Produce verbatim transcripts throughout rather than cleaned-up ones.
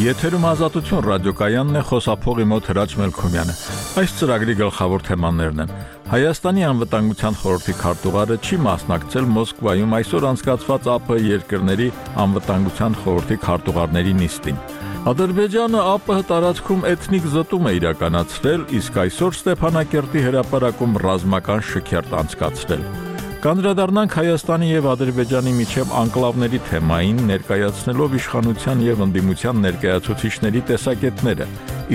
Եթերում Ազատություն ռադիոկայանն է, խոսափողի մոտ Հրաչ Մելքոմյանը։ Այս ծրագրի գլխավոր թեմաներն են. Հայաստանի անվտանգության խորհրդի քարտուղարը չի մասնակցել Մոսկվայում այսօր անցկացված ԱՊՀ երկրների անվտանգության խորհրդի քարտուղարների նիստին։ Ադրբեջանը ԱՊՀ տարածքում էթնիկ զտում է իրականացրել, իսկ այսօր Ստեփանակերտի հրապարակում ռազմական շքերթ անցկացրել։ Կանդրադառնանք Հայաստանի եւ Ադրբեջանի միջև անկլավների թեմային, ներկայացնելով իշխանության եւ ընդդիմության ներկայացուցիչների տեսակետները։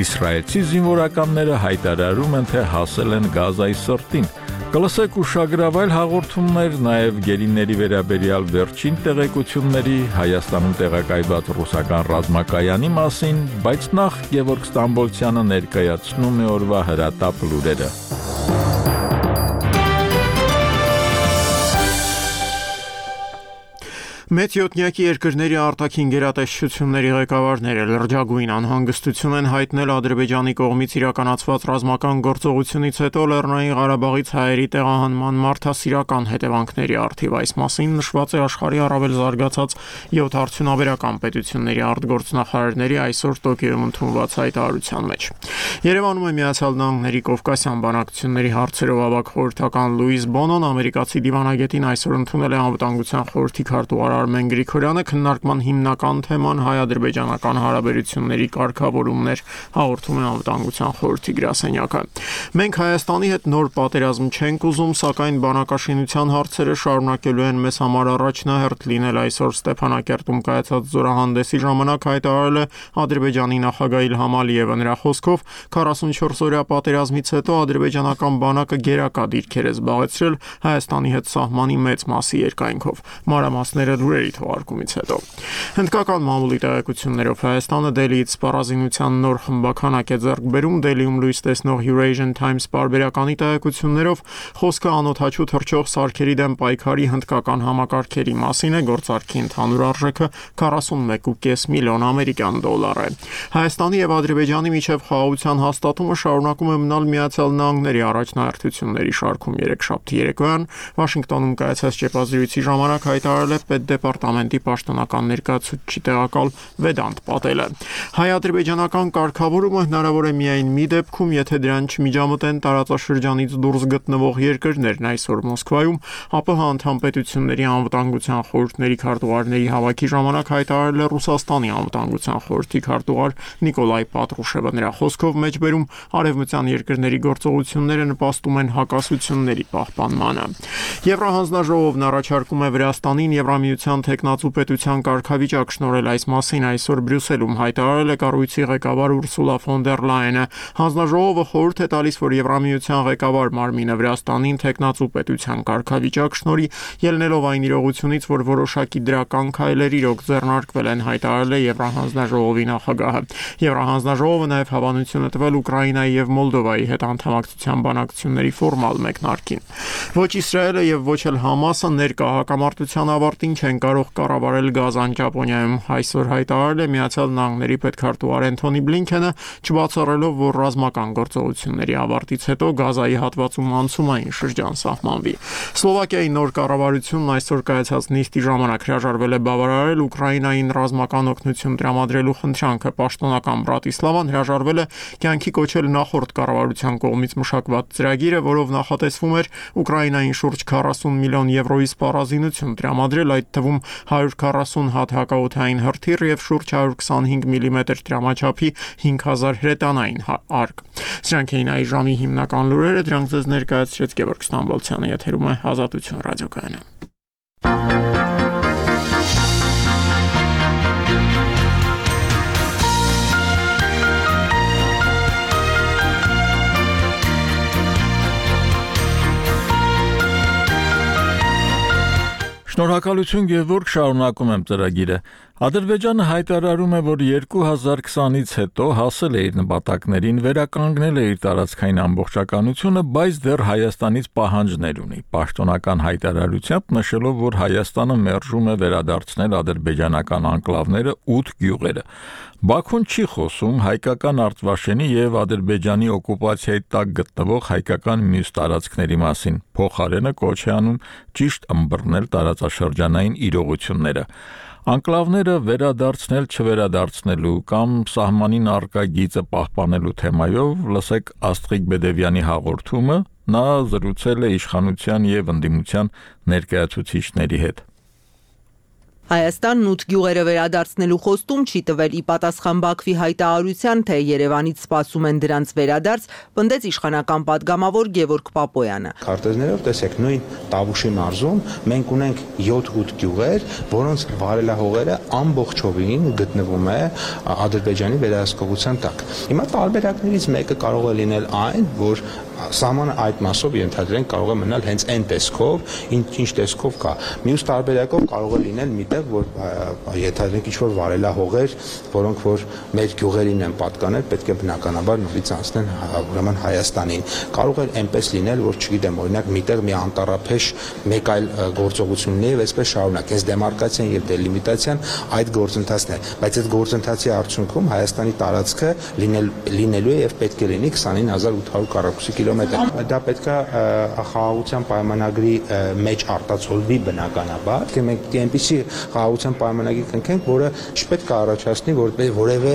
Իսրայելցի զինվորականները հայտարարում են, թե հասել են Գազայի սրտին։ Կլսեք ուշագրավայր հաղորդումներ, նաեւ գերիների վերաբերյալ վերջին տեղեկությունների, Հայաստանում տեղակայված ռուսական ռազմակայանի մասին, բայց նախ Գևորգ Ստամբոլցյանը ներկայացնում է օրվա հրատապ լուրերը։ Մեծյոտնյակի երկրների արտաքին գերատեսչությունների ղեկավարները լրջագույն անհանգստություն են հայտնել Ադրբեջանի կողմից իրականացված ռազմական գործողությունից հետո Լեռնային Ղարաբաղից հայերի տեղահանման մարդասիրական հետևանքների առթիվ։ Այս մասին նշված է աշխարհի առավել զարգացած յոթ արդյունաբերական պետությունների արտգործնախարարների այսօր Տոկիոյում ընդունված հայտարարության մեջ։ Երևանում է Միացյալ Նահանգների Կովկասյան բանակցությունների հարցերով ավագ խորհրդական Լուիս Բոնոն ամերիկացի դիվանագետին այսօր ընդունել է անվտանգության խորհրդի քարտուղար Արմեն Գրիգորյանը, քննարկման հիմնական թեման հայ-ադրբեջանական հարաբերությունների կարգավորումն էր, հաղորդում է անվտանգության խորհրդի գրասենյակը։ Մենք Հայաստանի հետ նոր պատերազմ չենք ուզում, սակայն բանակաշինության հարցերը շարունակելու են մեզ համար առաջնահերթ լինել, այսօր Ստեփանակերտում կայացած զորահանդեսի ժամանակ հայտարարել է Ադրբեջանի նախագահ Իլհամ Ալիևը։ Նրա խոսքով քառասունչորս օրյա պատերազմից հետո ադրբեջանական բանակը գերակա դիրքեր է զբաղեցրել Հայաստանի հետ սահմանի մեծ մասի երկայնքով։ Մանրամասները լուրերի թողարկումից հետո։ Հնդկական մամուլի տեղեկություններով Հայաստանը Դելիից սպառազինության նոր խմբականակ է ձեռք բերում։ Դելիում լույս տեսնող Eurasian Times պարբերականի տեղեկություններով խոսքը անօդաչու թռչող սարքերի դեմ պայքարի հնդկական համակարգերի մասին է, գործարքի ընդհանուր արժեքը քառասունմեկ կόμμα պենս միլիոն ամերիկյան դոլար է։ Հայաստանի եւ Ադրբեջանի միջև խաղաղության հաստատումը շարունակում է մնալ Միացյալ Նահանգների առաջնահերթությունների շարքում։ Երեքշաբթի երեկոյան Վաշինգտոնում կայացած ճեպազրույցի ժամանակ հայտարարել է պետդեպարտամենտի պաշտոնական ներկայացուցիչ տեղակալ Վեդանտ Պատելը։ Հայ-ադրբեջանական կարգավորումը հնարավոր է միայն մի դեպքում, եթե դրան չմիջամտեն տարածաշրջանից դուրս գտնվող երկրներն։ Այսօր Մոսկվայում ԱՊՀ անդամ պետությունների անվտանգության խորհուրդների քարտուղարների հավաքի ժամանակ հայտարարել է Ռուսաստանի անվտանգության խորհրդի քարտուղար Նիկոլայ Պատրուշևը։ Նրա խոսքով մեջբերում արևմտյան երկրների գործողությունները նպաստում են հակասությունների պահպանմանը։ Եվրահանձնաժողովն առաջարկում է Վրաստանին Եվրամիության թեկնածու պետության կարգավիճակ շնորհել։ Այս մասին այսօր Բրյուսելում հայտարարել է կառույցի ղեկավար Ուրսուլա ֆոն դեր Լայենը։ Հանձնաժողովը խորհուրդ է տալիս, որ Եվրամիության ղեկավար մարմինը Վրաստանին թեկնածու պետության կարգավիճակ շնորհի, ելնելով այն իրողությունից, որ որոշակի դրական քայլեր իրոք ձեռնարկվել են, հայտարարել է Եվրահանձնաժողովի նախագահը։ Եվրահանձնաժողովը նաև հավանություն է տվել Ուկրաինայի եւ Մոլդովայի հետ անդամակցության բանակցությունների ֆորմալ մեկնարկին։ Ոչ Իսրայելը եւ ոչ էլ Համասը ներկա հակամարտության ավարտին չեն կարող կառավարել Գազան Ճապոնիայում։ Այսօր հայտարարել է Միացյալ Նահանգների պետքարտուղար Էնթոնի Բլինքենը, չբացառելով, որ ռազմական գործողությունների ավարտից հետո Գազայի հատվածում անցումային շրջան սահմանվի։ Սլովակիայի նոր կառավարությունն այսօր կայացած նիստի ժամանակ հրաժարվել է բավարարել Ուկրաինային ռազմական օգնություն տրամադրելու խնդրանքը։ Պաշտոնական Բրատիսլավան հրաժարվել է կյանքի կոչել նախորդ կառավարության կողմից մշակված ծրագիրը, որով նախատեսվում էր Ուկրաինային շուրջ քառասուն միլիոն եվրոյի սպառազինություն տրամադրել, այդ թվում հարյուր քառասուն հատ հակաօդային հրթիռ եւ շուրջ հարյուր քսանհինգ միլիմետր տրամաչափի հինգ հազար հրետանային արկ։ Սրանք էին այս ժամի հիմնական լուրերը, դրանք ձեզ ներկայացրեց Գևորգ Ստամբոլցյանը, եթերում է Ազատություն ռադիոկայանը։ Շնորհակալություն Գևորգ, շարունակում եմ ծրագիրը։ Ադրբեջանը հայտարարում է, որ երկու հազար քսանից հետո հասել է իր նպատակներին, վերականգնել է իր տարածքային ամբողջականությունը, բայց դեռ Հայաստանից պահանջներ ունի։ Պաշտոնական հայտարարությամբ նշելով, որ Հայաստանը մերժում է վերադարձնել ադրբեջանական անկլավները ութ գյուղերը։ Բաքուն չի խոսում հայկական Արտվաշենի եւ Ադրբեջանի օկուպացիայի տակ գտնվող հայկական մյուս տարածքների մասին։ Փոխարենը կոչ է անում ճիշտ ըմբռնել տարածաշրջանային իրողությունները։ Անկլավները վերադարձնել չվերադարձնելու կամ սահմանին առկա գիծը պահպանելու թեմայով լսեք Աստղիկ Բեդևյանի հաղորդումը, նա զրուցել է իշխանության եւ ընդդիմության ներկայացուցիչների հետ։ Հայաստանն ութ գյուղերը վերադարձնելու խոստում չի տվել ի պատասխան Բաքվի հայտարարության, թե Երևանից սպասում են դրանց վերադարձ, պնդեց իշխանական պատգամավոր Գևորգ Պապոյանը։ Քարտեզներով տեսեք նույն Տավուշի մարզում մենք ունենք յոթ-ութ գյուղեր, որոնց վարելահողերը ամբողջովին գտնվում է Ադրբեջանի վերահսկողության տակ։ Հիմա տարբերակներից մեկը կարող է լինել այն, որ սահմանը այդ մասով ենթադրենք կարող է մնալ հենց այն տեսքով, ինչ տեսքով կա։ Մյուս տարբերակով կարող է լինել միտեղ, որ ենթադրենք ինչ-որ վարելահողեր, որոնք որ մեր գյուղերին են պատկանել, պետք է բնականաբար նորից անցնեն ուրեմն Հայաստանին։ Կարող է այնպես լինել, որ չգիտեմ, օրինակ միտեղ մի անտառափեշ մեկ այլ գործողություն ունի եւ այսպես շարունակ։ Այս դեմարկացիան եւ դելիմիտացիան այդ գործընթացն է, բայց այդ գործընթացի արդյունքում Հայաստանի տարածքը լինել լինելու է եւ պետք է լինի քսանինը հազար ութ հարյուր քառակուսի կիլոմետր։ Դա պետք է խաղաղության պայմանագրի մեջ արտացոլվի բնականաբար, թե մենք այնպիսի խաղաղության պայմանագրի կնքենք, որը չպետք է առաջացնի որևէ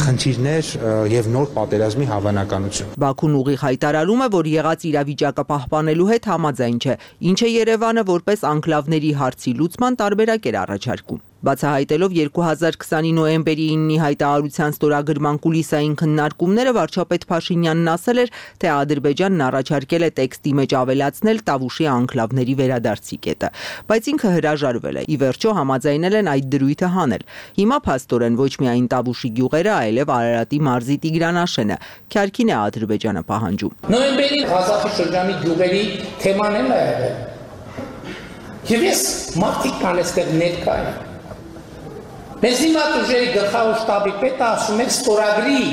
խնդիրներ եւ նոր պատերազմի հավանականություն։ Բաքուն ուղիղ հայտարարում է, որ եղած իրավիճակը պահպանելու հետ համաձայն չէ, ինչը Երևանը որպես անկլավների հարցի լուծման տարբերակ էր առաջարկում։ Բացահայտելով երկու հազար քսանի նոյեմբերի իննի հայտարարության ստորագրման կուլիսային քննարկումները, վարչապետ Փաշինյանն ասել էր, թե Ադրբեջանն առաջարկել է տեքստի մեջ ավելացնել Տավուշի անկլավների վերադարձի կետը, բայց ինքը հրաժարվել է։ Ի վերջո համաձայնել են այդ դրույթը հանել։ Հիմա փաստորեն ոչ միայն Տավուշի գյուղերը, այլև Արարատի մարզի Տիգրանաշենը քյարքին է Ադրբեջանը պահանջում։ Նոյեմբերի Ղազախի շրջանի գյուղերի թեման էլ է եղել։ Եվ ես մարդիկ կան այստեղ ներկա են։ Մեզ հիմա ուժերի գլխավոր շտաբի պետը ասում է ստորագրի,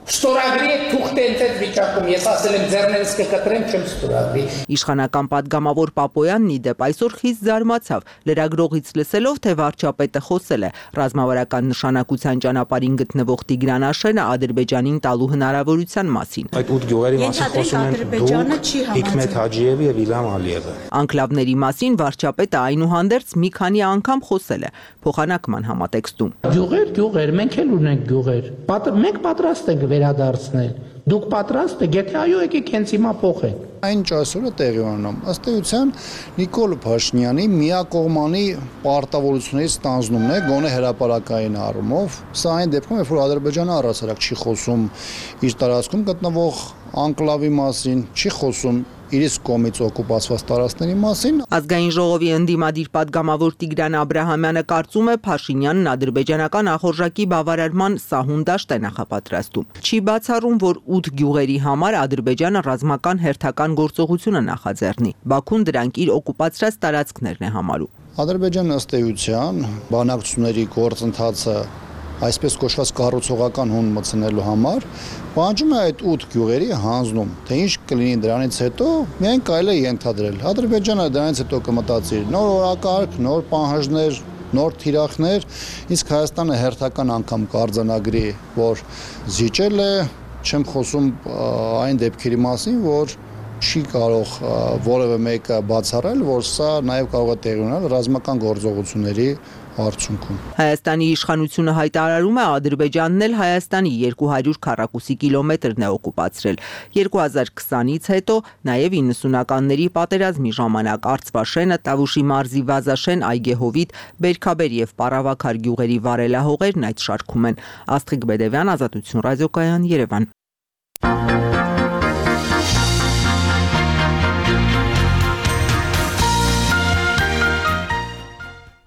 ստորագրի է թուղթ ընթետ վիճակում, ես ասել եմ ձեռներս կկտրեմ, չեմ ստորագրի։ Իշխանական պատգամավոր Պապոյանն ի դեպ այսօր խիստ զարմացավ, լրագրողից լսելով, թե վարչապետը խոսել է ռազմավարական նշանակության ճանապարհին գտնվող Տիգրանաշենը Ադրբեջանին տալու հնարավորության մասին։ Այդ ութ գյուղերի մասին խոսում են դուք, Հիկմետ Հաջիևը եւ Իլհամ Ալիևը։ Անկլավների մասին վարչապետը այնուհանդերձ մի քանի անգամ խոսել է փոխանակման համատեքստում։ Գյուղեր, գյուղեր, մենք էլ ունենք գյուղեր։ Մենք պատրաստ ենք վերադարձնել։ Դուք պատրաստ եք, եթե այո, եկեք հենց հիմա փոխենք։ Այն այսօրը տեղի ունենում ըստ էության Նիկոլ Փաշինյանի միակողմանի պարտավորություններից ստանձնումն է, գոնե հրապարակային առումով։ Սա այն դեպքում, երբ որ Ադրբեջանը առասարակ չի խոսում իր տարածքում գտնվող անկլավի մասին, չի խոսում իր կողմից օկուպացված տարածքների մասին։ Ազգային ժողովի ընդդիմադիր պատգամավոր Տիգրան Աբրահամյանը կարծում է Փաշինյանն ադրբեջանական ախորժակի բավարարման սահուն դաշտ է նախապատրաստում։ Չի բացառում, որ ութ գյուղերի համար Ադրբեջանը ռազմական հերթական գործողություն է նախաձեռնի։ Բաքուն դրանք իր օկուպացրած տարածքներն է համարում։ Ադրբեջանը ըստ էության բանակցությունների գործընթացը այսպես կոչված կառուցողական հուն մտցնելու համար պահանջում է այդ ութ գյուղերի հանձնում, թե ինչ կլինի դրանից հետո, միայն կարելի է ենթադրել։ Ադրբեջանը դրանից հետո կմտածի նոր օրակարգ, նոր պահանջներ, նոր թիրախներ, իսկ Հայաստանը հերթական անգամ կարձանագրի, որ զիջել է, չեմ խոսում այն դեպքերի մասին, որ չի կարող որևէ մեկը բացառել, որ սա նաև կարող է տեղի ունենալ ռազմական գործողությունների արդյունքում։ Հայաստանի իշխանությունը հայտարարում է Ադրբեջանն էլ Հայաստանի երկու հարյուր քառակուսի կիլոմետրն է օկուպացրել։ երկու հազար քսանից հետո նաև իննսունականների պատերազմի ժամանակ Արցվաշենը, Տավուշի մարզի Վազաշեն, Այգեհովիտ, Բերքաբեր եւ Պարավաքար գյուղերի վարելահողերն այդ շարքում են։ Աստղիկ Բեդևյան, Ազատություն ռադիոկայան, Երևան։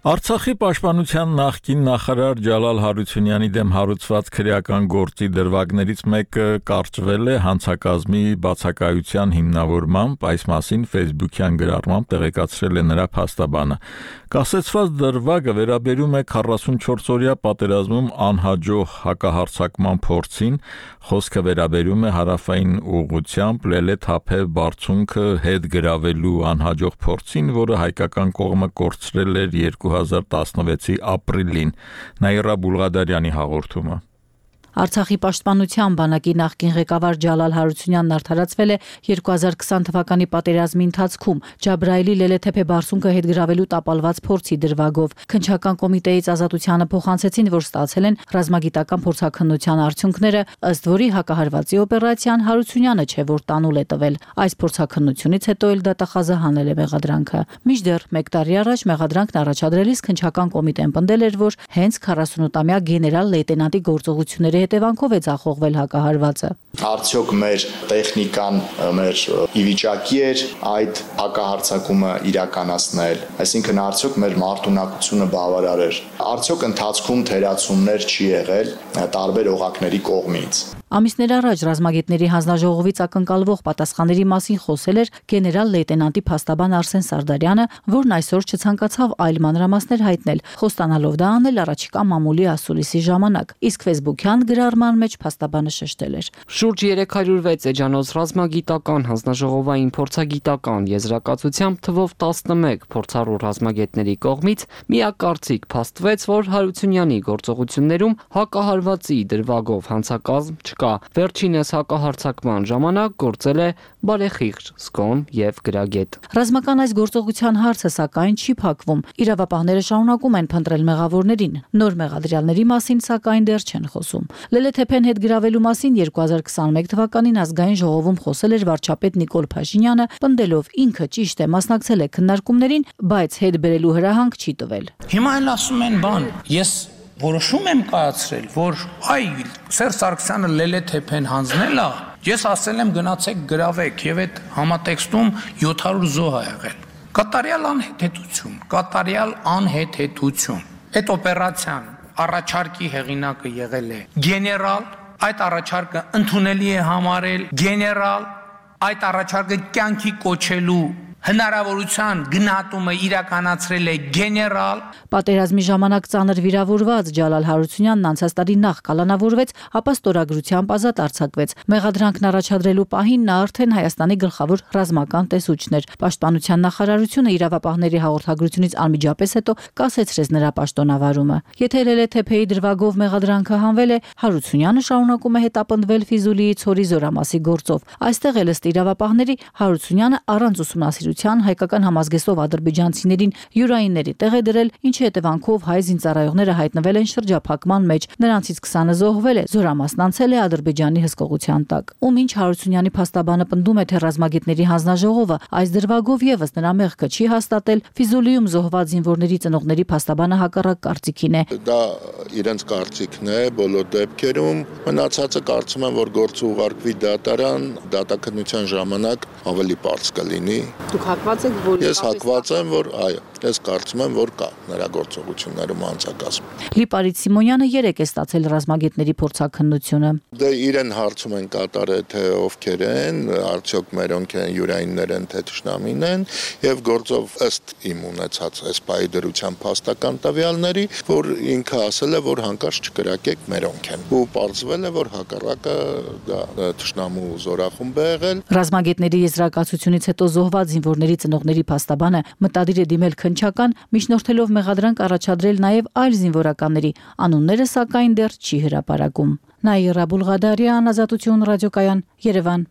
Արցախի պաշտպանության նախկին նախարար Ջալալ Հարությունյանի դեմ հարուցված քրեական գործի դրվագներից մեկը կարճվել է հանցակազմի բացակայության հիմնավորմամբ, այս մասին Facebook-յան գրառմամբ տեղեկացրել է նրա փաստաբանը։ Կասեցված դրվագը վերաբերում է քառասունչորս-օրյա պատերազմում անհաջող հակահարձակման փորձին, խոսքը վերաբերում է հարավային ուղղությամբ Լելե-Թափե բարձունքը հետ գրավելու անհաջող փորձին, որը հայկական կողմը կորցրել էր երկու հազար տասնվեցի ապրիլին։ Նաիրա Բուլղադարյանի հաղորդումը։ Արցախի պաշտպանության բանակի նախկին ղեկավար Ջալալ Հարությունյանն արդարացվել է երկու հազար քսան թվականի պատերազմի ընթացքում Ջաբրայելի Լելեթեփե բարձունքը հետգրավելու տապալված փորձի դրվագով։ Քննչական կոմիտեից Ազատությանը փոխանցեցին, որ ստացել են ռազմագիտական փորձաքննության արդյունքները, ըստ որի հակահարվածի օպերացիան Հարությունյանը չէ, որ տանուլ է տվել։ Այս փորձաքննությունից հետո էլ դատախազը հանել է մեղադրանքը։ Մինչդեռ մեկ տարի առաջ մեղադրանքն առաջադրելիս քննչական կոմիտեն պնդել էր, որ հենց քառասունութամյա գեներալ լեյտենանտի գործողությունների հետևանքով է ձախողվել հակահարվածը։ Արդյոք մեր տեխնիկան, մեր ի վիճակի էր այդ հակահարձակումը իրականացնել, այսինքն արդյոք մեր մարտունակությունը բավարար էր, արդյոք ընթացքում թերացումներ չի եղել տարբեր օղակների կողմից։ Ամիսներ առաջ ռազմագետների հանձնաժողովից ակնկալվող պատասխանների մասին խոսել էր գեներալ լեյտենանտի փաստաբան Արսեն Սարդարյանը, որն այսօր չցանկացավ այլ մանրամասներ հայտնել, խոստանալով դա անել առաջիկա մամուլի ասուլիսի ժամանակ, իսկ ֆեյսբուքյան գրառման մեջ փաստաբանը շեշտել էր. Շուրջ երեք հարյուր վեց էջանոց ռազմագիտական հանձնաժողովային փորձագիտական եզրակացությամբ թվով տասնմեկ փորձառու ռազմագետների կողմից միակարծիք փաստվեց, որ Հարությունյանի գործողություններում հակահարվածի դրվագով հանցակազմ չկա։ Վերջինս հակահարձակման ժամանակ գործել է բարեխիղճ, զգոն եւ գրագետ։ Ռազմական այս գործողության հարցը սակայն չի փակվում։ Իրավապահները շարունակում են փնտրել մեղավորներին։ Նոր մեղադրյալների մասին սակայն դեռ չեն խոսում։ Լելեթեփեն հետ գրավելու մասին երկու հազար քսաներեք թվականին ազգային ժողովում խոսել էր վարչապետ Նիկոլ Փաշինյանը, պնդելով ինքը ճիշտ է մասնակցել է քննարկումներին, բայց հետ բերելու հրահանգ չի տվել։ Հիմա էլ ասում են բան, ես որոշում եմ կայացրել, որ այ Սերժ Սարգսյանը Լելեթեփեն հանձնել է, ես ասել եմ գնացեք գրավեք եւ այդ համատեքստում յոթ հարյուր զոհ ա եղել։ Կատարյալ անհեթեթություն, կատարյալ անհեթեթություն։ Այդ օպերացիան առաջարկի հեղինակը եղել է գեներալ, այդ առաջարկը ընդունելի է համարել գեներալ, այդ առաջարկը կյանքի կոչելու հնարավորության գնահատումը իրականացրել է գեներալ։ Պատերազմի ժամանակ ծանր վիրավորված Ջալալ Հարությունյանն անցած տարի նախ կալանավորվեց, ապա ստորագրությամբ ազատ արձակվեց։ Մեղադրանքն առաջադրելու պահին նա արդեն Հայաստանի գլխավոր ռազմական տեսուչն էր։ Պաշտպանության նախարարությունը իրավապահների հաղորդագրությունից անմիջապես հետո կասեցրեց նրա պաշտոնավարումը։ Եթե Լելեթեփեի դրվագով մեղադրանքը հանվել է, Հարությունյանը շարունակում է հետապնդվել Ֆիզուլիի ցորի զորամասի գործով։ Այստեղ էլ ըստ իրավապահների Հարությունյանը առանց ուսումնասիրության հայկական համազգեստով ադրբեջանցիներին յուրայինների տեղ է դրել, ինչի հետևանքով հայ զինծառայողները հայտնվել են շրջափակման մեջ, նրանցից քսանը զոհվել է, զորամասն անցել է Ադրբեջանի հսկողության տակ։ Ում ինչ Հարությունյանի փաստաբանը պնդում է, թե ռազմագետների հանձնաժողովը այս դրվագով եւս նրա մեղքը չի հաստատել, Ֆիզուլիում զոհված զինվորների ծնողների փաստաբանը հակառակ կարծիքին է։ Դա իրենց կարծիքն է բոլոր դեպքերում, մնացածը կարծում եմ, որ գործը ուղարկվի դատարան, դատաքննության ժամանակ ավելի པարզ կլինի։ Դուք հակված եք, որ Ես հակված եմ, որ այո, ես կարծում եմ, որ կա նրա գործողություններում անցակազմ։ Լիպարիտ Սիմոնյանը երեք է ստացել ռազմագետների փորձաքննությունը։ Դե իրեն հարցում են կատարել, թե ովքեր են, արդյոք մերոնք են, յուրայիններ են, թե թշնամին են, եւ գործով ըստ իմ ունեցած էսպայի դրության փաստական տվյալների, որ ինքը ասել է, որ հանկարծ չկրակեք մերոնք են։ Ու պարզվել է, որ հակառակը դա թշնամու զորախումբ է եղել։ Ռազմագետների եզրակացությունից հետո զոհված զինվորների ծնողների փաստաբանը մտադիր է դիմել քննչական, միջնորդելով մեղադրանք առաջադրել նաև այլ զինվորականների, անունները սակայն դեռ չի հրապարակում։ Նաիրա Բուլղադարյան, Ազատություն ռադիոկայան, Երևան։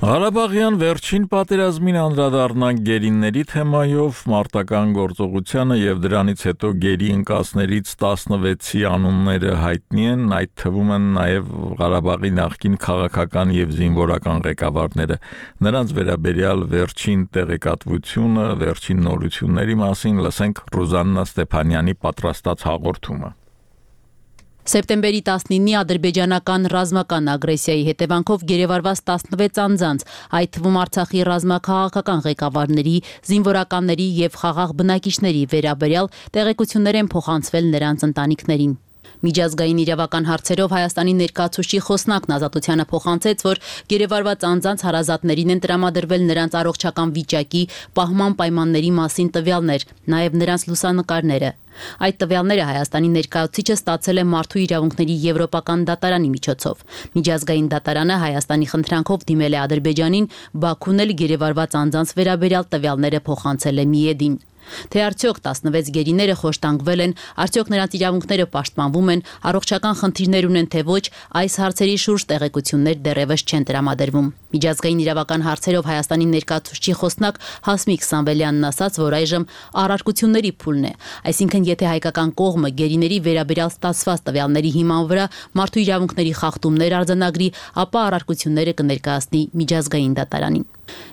Ղարաբաղյան վերջին պատերազմին անդրադառնանք գերիների թեմայով, մարտական գործողությանը եւ դրանից հետո գերի ընկածներից տասնվեցի անունները հայտնի են, այդ թվում են նաեւ Ղարաբաղի նախկին քաղաքական եւ զինվորական ղեկավարները։ Նրանց վերաբերյալ վերջին տեղեկատվությունը, վերջին նորությունների մասին լսենք Ռուզաննա Ստեփանյանի պատրաստած հաղորդումը։ Սեպտեմբերի տասնինի ադրբեջանական ռազմական ագրեսիայի հետևանքով գերեվարված տասնվեց անձանց, այդ թվում Արցախի ռազմաքաղաքական ղեկավարների, զինվորականների եւ խաղաղ բնակիչների վերաբերյալ տեղեկություններ են փոխանցվել նրանց ընտանիքներին։ Միջազգային իրավական հարցերով Հայաստանի ներկայացուցիչի խոսնակն Ազատությանը փոխանցեց, որ գերեվարված անձանց հարազատներին են տրամադրվել նրանց առողջական վիճակի, պահման պայմանների մասին տվյալներ, նաև նրանց լուսանկարները։ Այդ տվյալները Հայաստանի ներկայացուցիչը ստացել է Մարդու իրավունքների Եվրոպական դատարանի միջոցով։ Միջազգային դատարանը Հայաստանի խնդրանքով դիմել է Ադրբեջանին, Բաքուն էլ գերեվարված անձանց վերաբերյալ տվյալները փոխանցել է Միեդին։ Թե արդյոք տասնվեց գերիները խոշտանգվել են, արդյոք նրանց իրավունքները պաշտպանվում են, առողջական խնդիրներ ունեն թե ոչ, այս հարցերի շուրջ տեղեկություններ դեռևս չեն տրամադրվում։ Միջազգային իրավական հարցերով Հայաստանի ներկայացուցչի խոսնակ Հասմիկ Սամվելյանն ասաց, որ այժմ առարկությունների փուլն է, այսինքն եթե հայկական կողմը գերիների վերաբերյալ ստացված տվյալների հիման վրա մարդու իրավունքների խախտումներ արձանագրի, ապա առարկությունները կներկայացնի միջազգային դատարանին։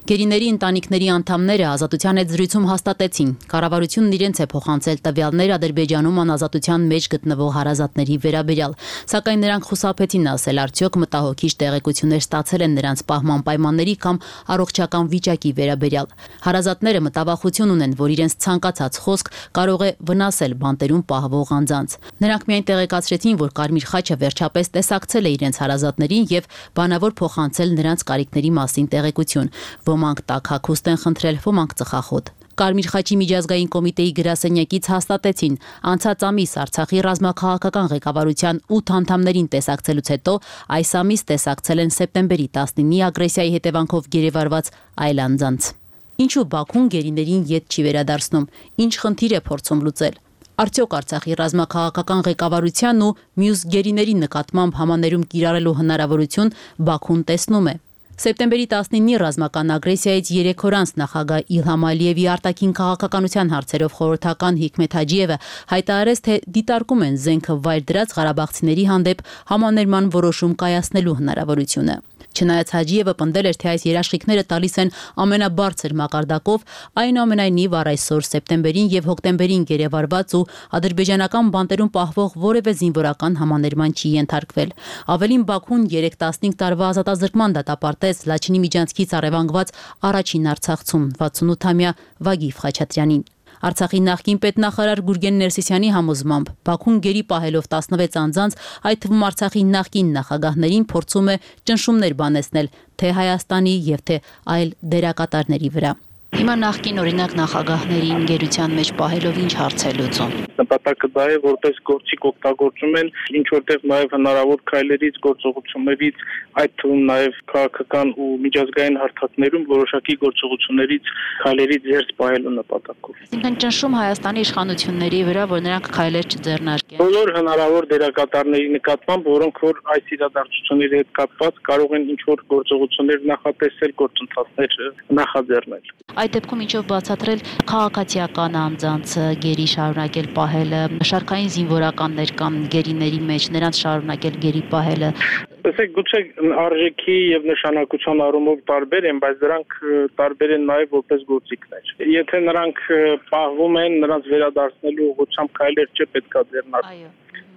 Գերիների ընտանիքների անդամները ազատության հետ զրույցում հաստատեցին, կառավարությունն իրենց է փոխանցել տվյալներ Ադրբեջանում անազատության մեջ գտնվող հարազատների վերաբերյալ, սակայն նրանք խուսափեցին ասել, արդյոք մտահոգիչ տեղեկություններ ստացել են նրանց պահման պայմանների կամ առողջական վիճակի վերաբերյալ։ Հարազատները մտավախություն ունեն, որ իրենց ցանկացած խոսք կարող է վնասել բանտերում պահվող անձանց։ Նրանք միայն տեղեկացրեցին, որ Կարմիր խաչը վերջապես տեսակցել է իրենց հարազատներին եւ բանավոր փոխանցել նրանց կարիքների մասին տեղեկություն։ Ոմանք տաք հագուստ են խնդրել, ոմանք ծխախոտ։ Կարմիր խաչի միջազգային կոմիտեի գրասենյակից հաստատեցին, անցած ամիս Արցախի ռազմաքաղաքական ղեկավարության ութ անդամներին տեսակցելուց հետո այս ամիս տեսակցել են սեպտեմբերի տասնինի ագրեսիայի հետևանքով գերեվարված այլ անձանց։ Ինչու Բաքուն գերիներին ետ չի վերադարձնում, ինչ խնդիր է փորձում լուծել։ Արդյոք Արցախի ռազմաքաղաքական ղեկավարության ու մյուս գերիների նկատմամբ համաներում կիրառելու հնարավորություն Բաքուն տեսնում է։ Սեպտեմբերի տասնինի ռազմական ագրեսիայից երեք օր անց նախագահ Իլհամ Ալիևի արտաքին քաղաքականության հարցերով խորհրդական Հիկմեթ Հաջիևը հայտարարեց, թե դիտարկում են զենքը վայր դրած ղարաբաղցիների հանդեպ համաներման որոշում կայացնելու հնարավորությունը։ Չնայած Հաջիևը պնդել էր, թե այս երաշխիքները տալիս են ամենաբարձր մակարդակով, այնուամենայնիվ առ այսօր սեպտեմբերին եւ հոկտեմբերին գերեվարված ու ադրբեջանական բանտերում պահվող որևէ զինվորական համաներման չի ենթարկվել։ Ավելին, Բաքուն երեք տասնհինգ տարվա ազատազրկման դատապարտեց Լաչինի միջանցքից առևանգված առաջին արցախցում վաթսունութամյա Վագիվ Խաչատրյանին։ Արցախի նախկին պետնախարար Գուրգեն Ներսիսյանի համոզմամբ Բաքուն գերի պահելով տասնվեց անձանց, այդ թվում Արցախի նախկին նախագահներին փորձում է ճնշումներ բանեցնել թե Հայաստանի եւ թե այլ դերակատարների վրա։ Հիմա նախկին օրինակ նախագահներին գերության մեջ պահելով ինչ հարց է լուծում։ Նպատակը դա է, որպես գործիք օգտագործում են ինչ որտեղ նաև հնարավոր քայլերից, գործողություններից, այդ թվում նաև քաղաքական ու միջազգային հարթակներում որոշակի գործողություններից, քայլերից զերծ պահելու նպատակով։ Այսինքն ճնշում Հայաստանի իշխանությունների վրա, որ նրանք քայլեր չձեռնարկեն։ Բոլոր հնարավոր դերակատարների նկատմամբ, որոնք որ այս իրադարձությունների հետ կապված կարող են ինչ որ գործողություններ նախատեսել, գործընթացներ նախաձեռնել։ Այդ դեպքում ինչով բացատրել քաղաքացիական անձանց գերի շարունակել պահելը, շարքային զինվորականներ կամ գերիների մեջ նրանց շարունակել գերի պահելը։ Տեսեք, գուցե արժեքի եւ նշանակության առումով տարբեր են, բայց դրանք տարբեր են նաեւ որպես գործիքներ։ Եթե նրանք պահվում են, նրանց վերադարձնելու ուղղությամբ քայլեր չէ պետքա ձեռնարկել։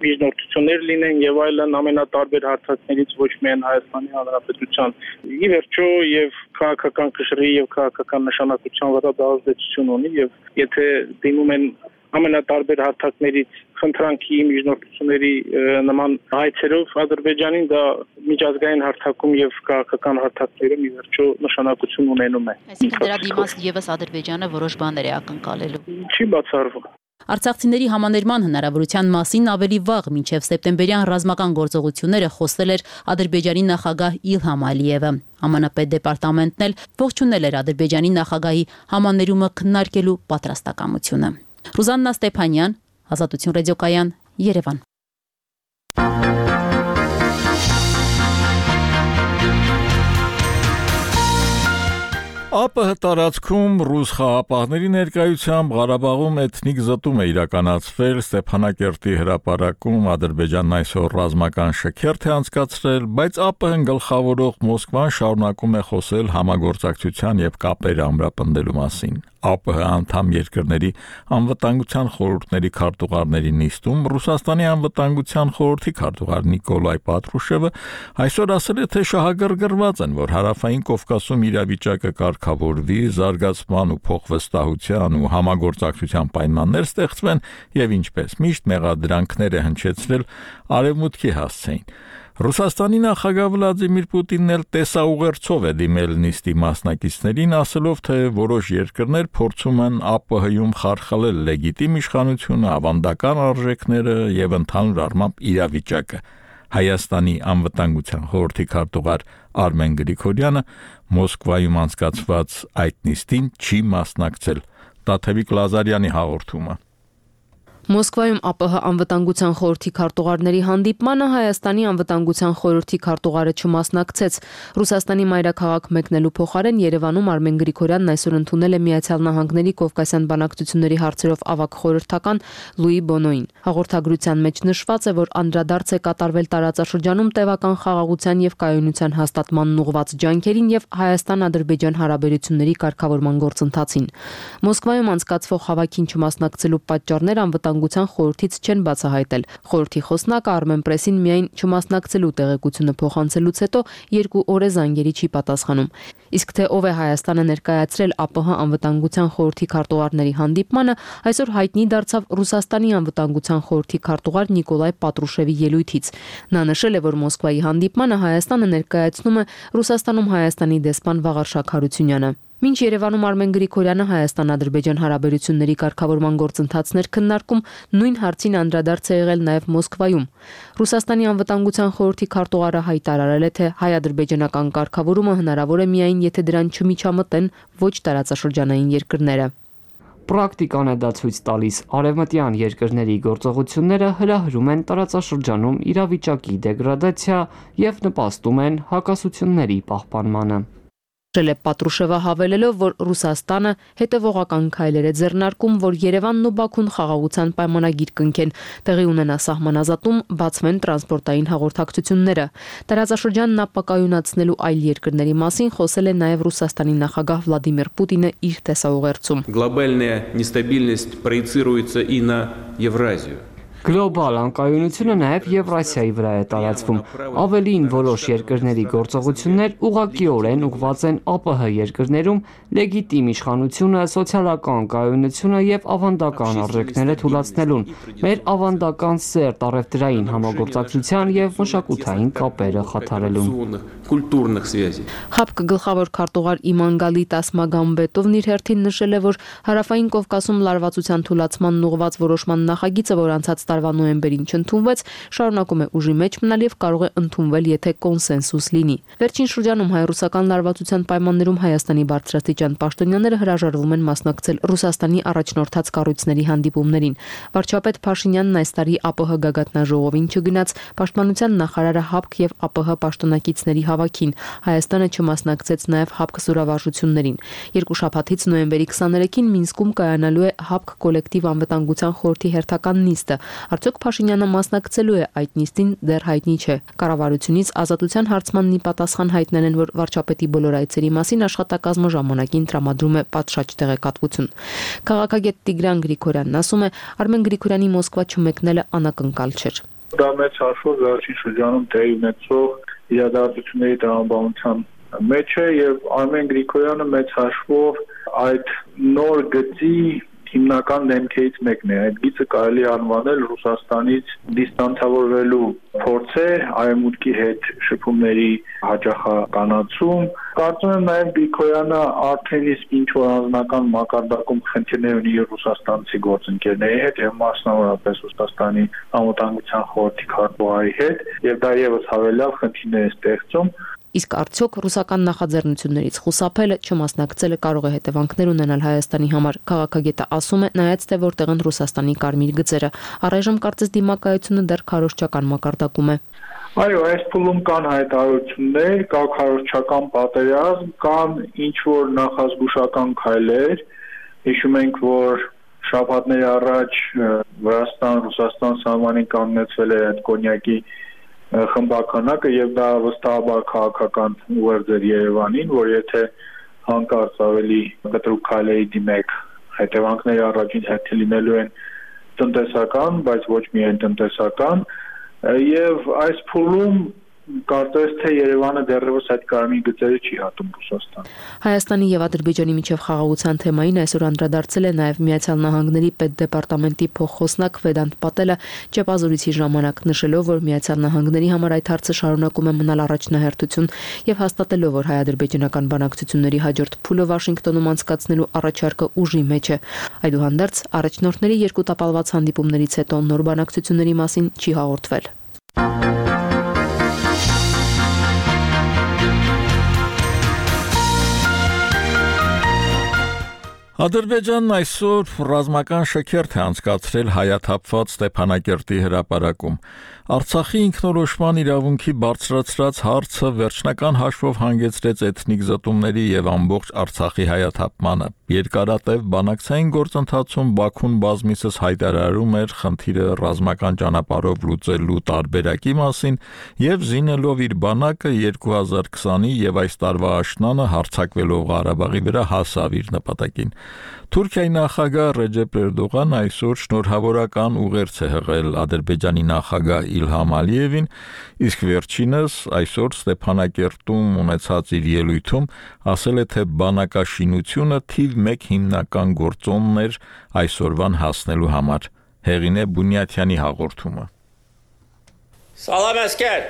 Միջնորդություններ լինեն եւ այլն ամենատարբեր հարթակներից ոչ միայն Հայաստանի Հանրապետության։ Ի վերջո եւ քաղաքական կշռի եւ քաղաքական նշանակության վրա դա ազդեցություն ունի եւ եթե դիմում են ամենատարբեր հարթակներից խնդրանքի միջնորդությունների նման հայցերով Ադրբեջանին դա միջազգային հարթակում եւ քաղաքական հարթակներում ի վերջո նշանակություն ունենում է։ Այսինքն դրա դիմաց եւս Ադրբեջանը որոշ բաներ է ակնկալելու։ Չի բացառվում։ Արցախցիների համաներման հնարավորության մասին ավելի վաղ մինչև սեպտեմբերյան ռազմական գործողությունները խոսել էր Ադրբեջանի նախագահ Իլհամ Ալիևը։ ԱՄՆ պետդեպարտամենտն էլ ողջունել էր Ադրբեջանի նախագահի համաներումը քննարկելու պատրաստակամությունը։ Ռուզաննա Ստեփանյան, Ազատություն ռադիոկայան, Երևան։ ԱՊՀ տարածքում ռուս խաղապահների ներկայությամբ Ղարաբաղում էթնիկ զտում է իրականացվել, Ստեփանակերտի հրապարակում Ադրբեջանն այսօր ռազմական շքերթ է անցկացրել, բայց ԱՊՀ-ն գլխավորող Մոսկվան շարունակում է խոսել համագործակցության եւ կապեր ամրապնդելու մասին։ ԱՊՀ անդամ երկրների անվտանգության խորհուրդների քարտուղարների նիստում Ռուսաստանի անվտանգության խորհրդի քարտուղար Նիկոլայ Պատրուշևը այսօր ասել է, թե շահագրգռված են, որ հարավային Կովկասում իրավիճակը կարգավորվի, զարգացման ու փոխվստահության ու համագործակցության պայմաններ ստեղծվեն եւ ինչպես միշտ մեղադրանքներ է հնչեցրել արևմուտքի հասցեին։ Ռուսաստանի նախագահ Վլադիմիր Պուտինն էլ տեսաուղերձով է դիմել նիստի մասնակիցներին, ասելով, թե որոշ երկրներ փորձում են ԱՊՀ-ում խարխլել լեգիտիմ իշխանությունը, ավանդական արժեքները եւ ընդհանուր առմամբ իրավիճակը։ Հայաստանի անվտանգության խորհրդի քարտուղար Արմեն Գրիգորյանը Մոսկվայում անցկացված այդ նիստին չի մասնակցել, Տաթևիկ Լազարյանի հաղորդումը։ Մոսկվայում ԱՊՀ անվտանգության խորհրդի քարտուղարների հանդիպմանը Հայաստանի անվտանգության խորհրդի քարտուղարը չմասնակցեց։ Ռուսաստանի մայրաքաղաք մեկնելու փոխարեն Երևանում Արմեն Գրիգորյանն այսօր ընդունել է Միացյալ Նահանգների Կովկասյան բանակցությունների հարցերով ավագ խորհրդական Լուի Բոնոին։ Հաղորդագրության մեջ նշված է, որ անդրադարձ է կատարվել տարածաշրջանում տևական խաղաղության եւ կայունության հաստատմանն ուղղված ջանքերին եւ Հայաստան-Ադրբեջան հարաբերությունների կարգավորման գործընթացին։ Մոսկվայում անցկացվող հավաքին չմասնակցելու պատճառներ անվտանգության խորհրդից չեն բացահայտել։ Խորհրդի խոսնակը Armen Press-ին միայն չմասնակցելու տեղեկությունը փոխանցելուց հետո երկու օր է զանգերի չի պատասխանում։ Իսկ թե ով է Հայաստանը ներկայացրել ԱՊՀ անվտանգության խորհրդի քարտուղարների հանդիպմանը, այսօր հայտնի դարձավ Ռուսաստանի անվտանգության խորհրդի քարտուղար Նիկոլայ Պատրուշևի ելույթից։ Նա նշել է, որ Մոսկվայի հանդիպմանը Հայաստանը ներկայացնում է Ռուսաստանում Հայաստանի դեսպան Վաղարշակ Հարությունյանը։ Մինչ Երևանում Արմեն Գրիգորյանը Հայաստան-Ադրբեջան հարաբերությունների կարգավորման գործընթացներ քննարկում, նույն հարցին անդրադարձ է եղել նաև Մոսկվայում։ Ռուսաստանի անվտանգության խորհրդի քարտուղարը հայտարարել է, թե հայ-ադրբեջանական կարգավորումը հնարավոր է միայն, եթե դրան չմիջամտեն ոչ տարածաշրջանային երկրները։ Պրակտիկան է դա ցույց տալիս, արևմտյան երկրների գործողությունները հրահրում են տարածաշրջանում իրավիճակի դեգրադացիա եւ նպաստում են հակասությունների պահպանմանը։ Պատրուշևը հավելելով, որ Ռուսաստանը հետևողական քայլեր է ձեռնարկում, որ Երևանն ու Բաքուն խաղաղության պայմանագիր կնքեն, տեղի ունենա սահմանազատում, բացվեն տրանսպորտային հաղորդակցությունները։ Տարածաշրջանն ապակայունացնելու այլ երկրների մասին խոսել է նաև Ռուսաստանի նախագահ Վլադիմիր Պուտինը իր տեսաուղերձում։ Глобальная нестабильность проецируется и на Евразию. Գլոբալ անկայունությունը նաև Եվրասիայի վրա է տարածվում։ Ավելին, որոշ երկրների գործողություններ ուղղակիորեն ուղղված են ԱՊՀ երկրներում լեգիտիմ իշխանությունը, սոցիալական կայունությունը եւ ավանդական արժեքները թուլացնելուն, մեր ավանդական սերտ առևտրային համագործակցության եւ մշակութային կապերը խաթարելուն։ ՀԱՊԿ գլխավոր քարտուղար Իմանգալի Տասմագամբետովն իր հերթին նշել է, որ Հարավային Կովկասում լարվածության թուլացմանն ուղղված որոշման նախագիծը, որ անցած տարվա նոյեմբերին չընդունվեց, շարունակում է ուժի մեջ մնալ եւ կարող է ընդունվել, եթե կոնսենսուս լինի։ Վերջին շրջանում հայ-ռուսական լարվածության պայմաններում Հայաստանի բարձրաստիճան պաշտոնյաները հրաժարվում են մասնակցել Ռուսաստանի առաջնորդած կառույցների հանդիպումներին։ Վարչապետ Փաշինյանն այս տարի ԱՊՀ գագաթնաժողովին չգնաց, պաշտպանության նախարարը ՀԱՊԿ եւ ԱՊՀ պաշտոնակիցների հավաքին։ Հայաստանը չմասնակցեց նաև ՀԱՊԿ զորավարժություններին։ Երկու շաբաթից նոյեմբերի քսաներեքին Մինսկում կայանալու է ՀԱՊԿ կոլեկտիվ անվտանգության խորհրդի հերթական նիստը։ Արդյոք Փաշինյանը մասնակցելու է այդ նիստին, դեռ հայտնի չէ։ Կառավարությունից ազատության հարցմանն ի պատասխան հայտնել են, որ վարչապետի բոլոր այցերի մասին աշխատակազմը ժամանակին տրամադրում է պատշաճ տեղեկատվություն։ Քաղաքագետ Տիգրան Գրիգորյանն ասում է, Արմեն Գրիգորյանի Մոսկվա չմեկնելը անակնկալ չէր։ Դա մեծ հաշվով վերջին շրջանում տեղի ունեցող իրադարձությունների տրամաբանության մեջ է եւ Արմեն Գրիգորյանը մեծ հաշվով այդ նոր գծի հիմնական դեմքերից մեկն է։ Այդ գիծը կարելի անվանել Ռուսաստանից դիստանցավորվելու փորձ է, արևմուտքի հետ շփումների հաճախականացում։ Կարծում եմ նաև Գրիգորյանը արդեն իսկ ինչ որ անձնական մակարդակում խնդիրներ ունի ռուսաստանցի գործընկերների հետ եւ մասնավորապես Ռուսաստանի անվտանգության խորհրդի քարտուղարի հետ, եւ դա եւս հավելյալ խնդիրներ է ստեղծում։ Իսկ արդյոք ռուսական նախաձեռնություններից խուսափելը, չմասնակցելը կարող է հետևանքներ ունենալ Հայաստանի համար։ Քաղաքագետը ասում է, նայած թե որտեղ են Ռուսաստանի կարմիր գծերը, առայժմ կարծես դիմակայությունը դեռ քարոզչական մակարդակում է։ Այո, այս փուլում կան հայտարարություններ, կա քարոզչական պատերազմ, կան ինչ որ նախազգուշական քայլեր։ Հիշում ենք, որ շաբաթներ առաջ Վրաստան-Ռուսաստան սահմանին կանգնեցվել է այդ կոնյակի խմբականակը եւ դա վստահաբար քաղաքական ուղերձ էր Երևանին, որ եթե հանկարծ ավելի կտրուկ քայլերի դիմեք, հետևանքները առաջին հերթին լինելու են տնտեսական, բայց ոչ միայն տնտեսական, եւ այս փուլում կարծես թե Երևանը դեռևս այդ կարմիր գծերը չի հատում Ռուսաստան։ Հայաստանի եւ Ադրբեջանի միջև խաղաղության թեմային այսօր անդրադարձել է նաեւ Միացյալ Նահանգների պետդեպարտամենտի փոխխոսնակ Վեդանտ Պատելը ճեպազորիցի ժամանակ, նշելով, որ Միացյալ Նահանգների համար այդ հարցը շարունակում է մնալ առաջնահերթություն եւ հաստատելով, որ հայ-ադրբեջանական բանակցությունների հաջորդ փուլը Վաշինգտոնում անցկացնելու առաջարկը ուժի մեջ է։ Այդուհանդերձ առաջնորդների երկու տապալված հանդիպումներից հետո նոր բանակցությունների մասին չի հաղորդվել։ Ադրբեջանն այսօր ռազմական շքերթ է անցկացրել հայաթափված Ստեփանակերտի հրապարակում։ Արցախի ինքնորոշման իրավունքի բարձրացրած հարցը վերջնական հաշվով հանգեցրեց էթնիկ զտումների եւ ամբողջ Արցախի հայաթափմանը։ Երկարատև բանակցային գործընթացում Բաքուն բազմիցս հայտարարում էր խնդիրը ռազմական ճանապարհով լուծելու տարբերակի մասին եւ զինելով իր բանակը երկու հազար քսանի եւ այս տարվա աշնանը հարձակվելով Ղարաբաղի վրա հասավ իր նպատակին։ Թուրքիայի նախագահ Ռեջեփ Էրդողանը այսօր շնորհավորական ուղերձ է հղել Ադրբեջանի նախագահ Իլհամ Ալիևին, իսկ վերջինս այսօր Ստեփանակերտում ունեցած իր ելույթում ասել է, թե բանակաշինությունը թիվ մեկ հիմնական գործոնն էր այսօրվան հասնելու համար։ Հեղինե Բունյաթյանի հաղորդումը։ Սալամ ասկեր։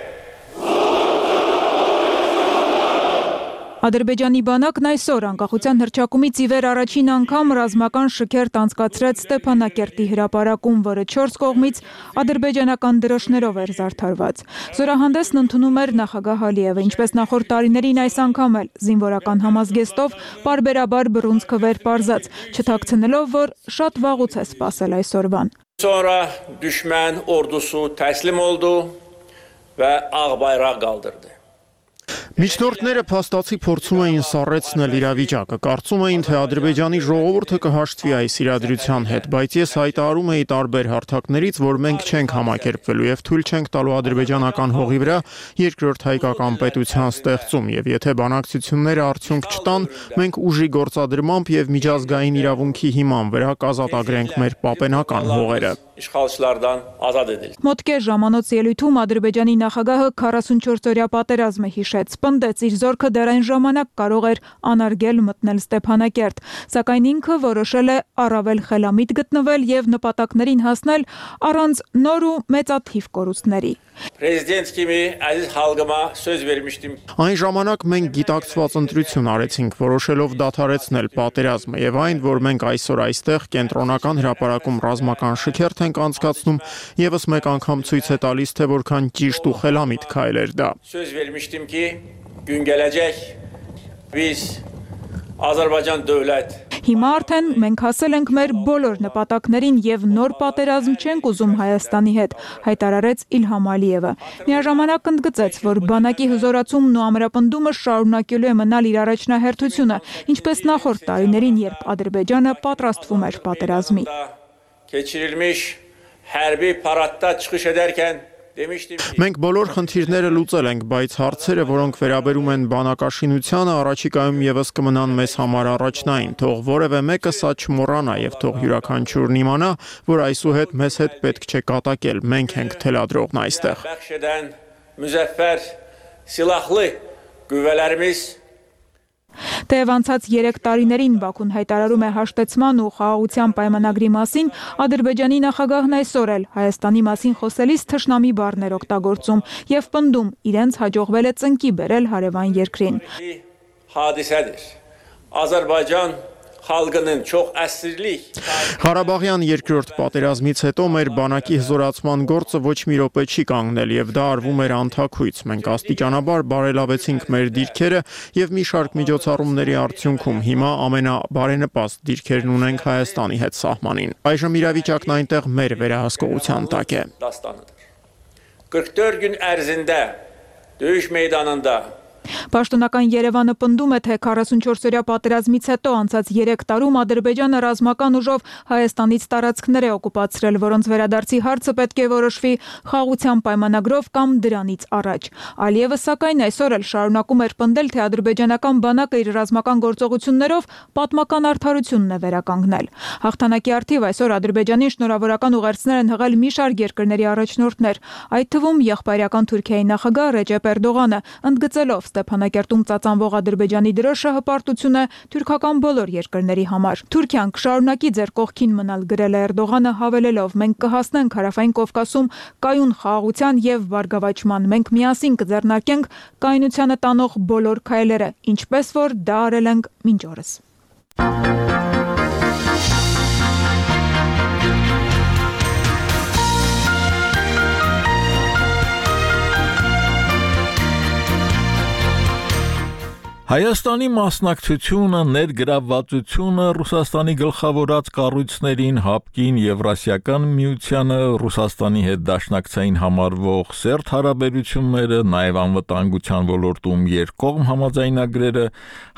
Ադրբեջանի բանակն այսօր անկախության հռչակումից ի վեր առաջին անգամ ռազմական շքերթ անցկացրեց Ստեփանակերտի հրապարակում, որը չորս կողմից ադրբեջանական դրոշներով էր զարդարված։ Զորահանդեսն ընդունում էր նախագահ Ալիևը, ինչպես նախորդ տարիներին այս անգամ էլ զինվորական համազգեստով պարբերաբար բռունցքը վեր պարզած, չթաքցնելով, որ շատ վաղուց է սպասել այսօրվան։ Sonra düşman ordusu teslim oldu ve Ağbayrağı kaldırdı. Միջնորդները փաստացի փորձում էին սառեցնել իրավիճակը, կարծում էին, թե Ադրբեջանի ժողովուրդը կհաշտվի այս իրադրության հետ, բայց ես հայտարարում էի տարբեր հարթակներից, որ մենք չենք համակերպվելու եւ թույլ չենք տալու ադրբեջանական հողի վրա երկրորդ հայկական պետության ստեղծում, եւ եթե բանակցությունները արդյունք չտան, մենք ուժի գործադրմամբ եւ միջազգային իրավունքի հիման վրա կազատագրենք մեր պապենական հողերը։ İşğalçılardan azad edildi. Մոտ կես ժամանոց ելույթում Ադրբեջանի նախագահը քառասունչորս-օրյա պատերազմը հիշեց, պնդեց իր զորքը դեռ այն ժամանակ կարող էր անարգել մտնել Ստեփանակերտ, սակայն ինքը որոշել է առավել խելամիտ գտնվել եւ նպատակներին հասնել առանց նոր ու մեծաթիվ կորուստների։ Prezident kimi aziz halkıma söz vermiştim. Այն ժամանակ մենք գիտակցված ընտրություն արեցինք, որոշելով դադարեցնել պատերազմը եւ այն, որ մենք այսօր այստեղ կենտրոնական հրապարակում ռազմական շքերթ ենք անցկացնում, եւս մեկ անգամ ցույց է տալիս, թե որքան ճիշտ ու խելամիտ քայլ էր դա։ Söz vermiştim ki gün gelecek biz Azərbaycan dövlət Հիմա արդեն մենք հասել ենք մեր բոլոր նպատակներին եւ նոր պատերազմ չենք ուզում Հայաստանի հետ, հայտարարեց Իլհամ Ալիևը։ Միաժամանակ ընդգծեց, որ բանակի հզորացումն ու ամրապնդումը շարունակելու է մնալ իր առաջնահերթությունը, ինչպես նախորդ տարիներին, երբ Ադրբեջանը պատրաստվում էր պատերազմի։ Keçirilmiş hərbi paradda çıxış edərkən Մենք բոլոր խնդիրները լուծել ենք, բայց հարցերը, որոնք վերաբերում են բանակաշինությանը, առաջիկայում եւս կմնան մեզ համար առաջնային, թող որևէ մեկը սա չմոռանա եւ թող յուրաքանչյուրն իմանա, որ այսուհետ մեզ հետ պետք չէ կատակել, մենք ենք թելադրողն այստեղ։ Müzəffər silahlı qüvvələrimiz Թեև անցած երեք տարիներին Բաքուն հայտարարում է հաշտեցման ու խաղաղության պայմանագրի մասին, Ադրբեջանի նախագահն այսօր էլ Հայաստանի մասին խոսելիս թշնամի բառներ օգտագործում եւ պնդում իրենց հաջողվել է ծնկի բերել հարևան երկրին։ Hadisədir. Azərbaycan xalqının çox əsrlik Ղարաբաղյան երկրորդ պատերազմից հետո մեր բանակի հզորացման գործը ոչ մի րոպե չի կանգնել եւ դա արվում էր անթաքույց։ Մենք աստիճանաբար բարելավեցինք մեր դիրքերը եւ մի շարք միջոցառումների արդյունքում հիմա ամենաբարենպաստ դիրքերն ունենք Հայաստանի հետ սահմանին։ Այժմ իրավիճակն այնտեղ մեր վերահսկողության տակ է։ qırx dörd gün ərzində döyüş meydanında Պաշտոնական Երևանը պնդում է, թե քառասունչորս-օրյա պատերազմից հետո անցած երեք տարում Ադրբեջանը ռազմական ուժով Հայաստանից տարածքներ է օկուպացրել, որոնց վերադարձի հարցը պետք է որոշվի խաղաղության պայմանագրով կամ դրանից առաջ։ Ալիևը սակայն այսօր էլ շարունակում էր պնդել, թե ադրբեջանական բանակը իր ռազմական գործողություններով պատմական արդարությունն է վերականգնել։ Հաղթանակի առթիվ այսօր Ադրբեջանին շնորհավորական ուղերձներ են հղել մի շարք երկրների առաջնորդներ, այդ թվում եղբայրական Թուրքիայի նախագահ Ռեջեփ Էրդողանը, ընդգծելով Ստեփանակերտում ծածանվող Ադրբեջանի դրոշը հպարտություն է թուրքական բոլոր երկրների համար։ Թուրքիան կշարունակի ձեր կողքին մնալ, գրել է Էրդողանը, հավելելով. մենք կհասնենք Հարավային Կովկասում կայուն խաղաղության եւ բարգավաճման, մենք միասին կձեռնարկենք կայունությանը տանող բոլոր քայլերը, ինչպես որ դա արել ենք մինչ օրս։ Հայաստանի մասնակցությունը, ներգրավվածությունը Ռուսաստանի գլխավորած կառույցներին, ՀԱՊԿ-ին, Եվրասիական միությանը, Ռուսաստանի հետ դաշնակցային համարվող սերտ հարաբերությունները, նաև անվտանգության ոլորտում երկկողմ համաձայնագրերը,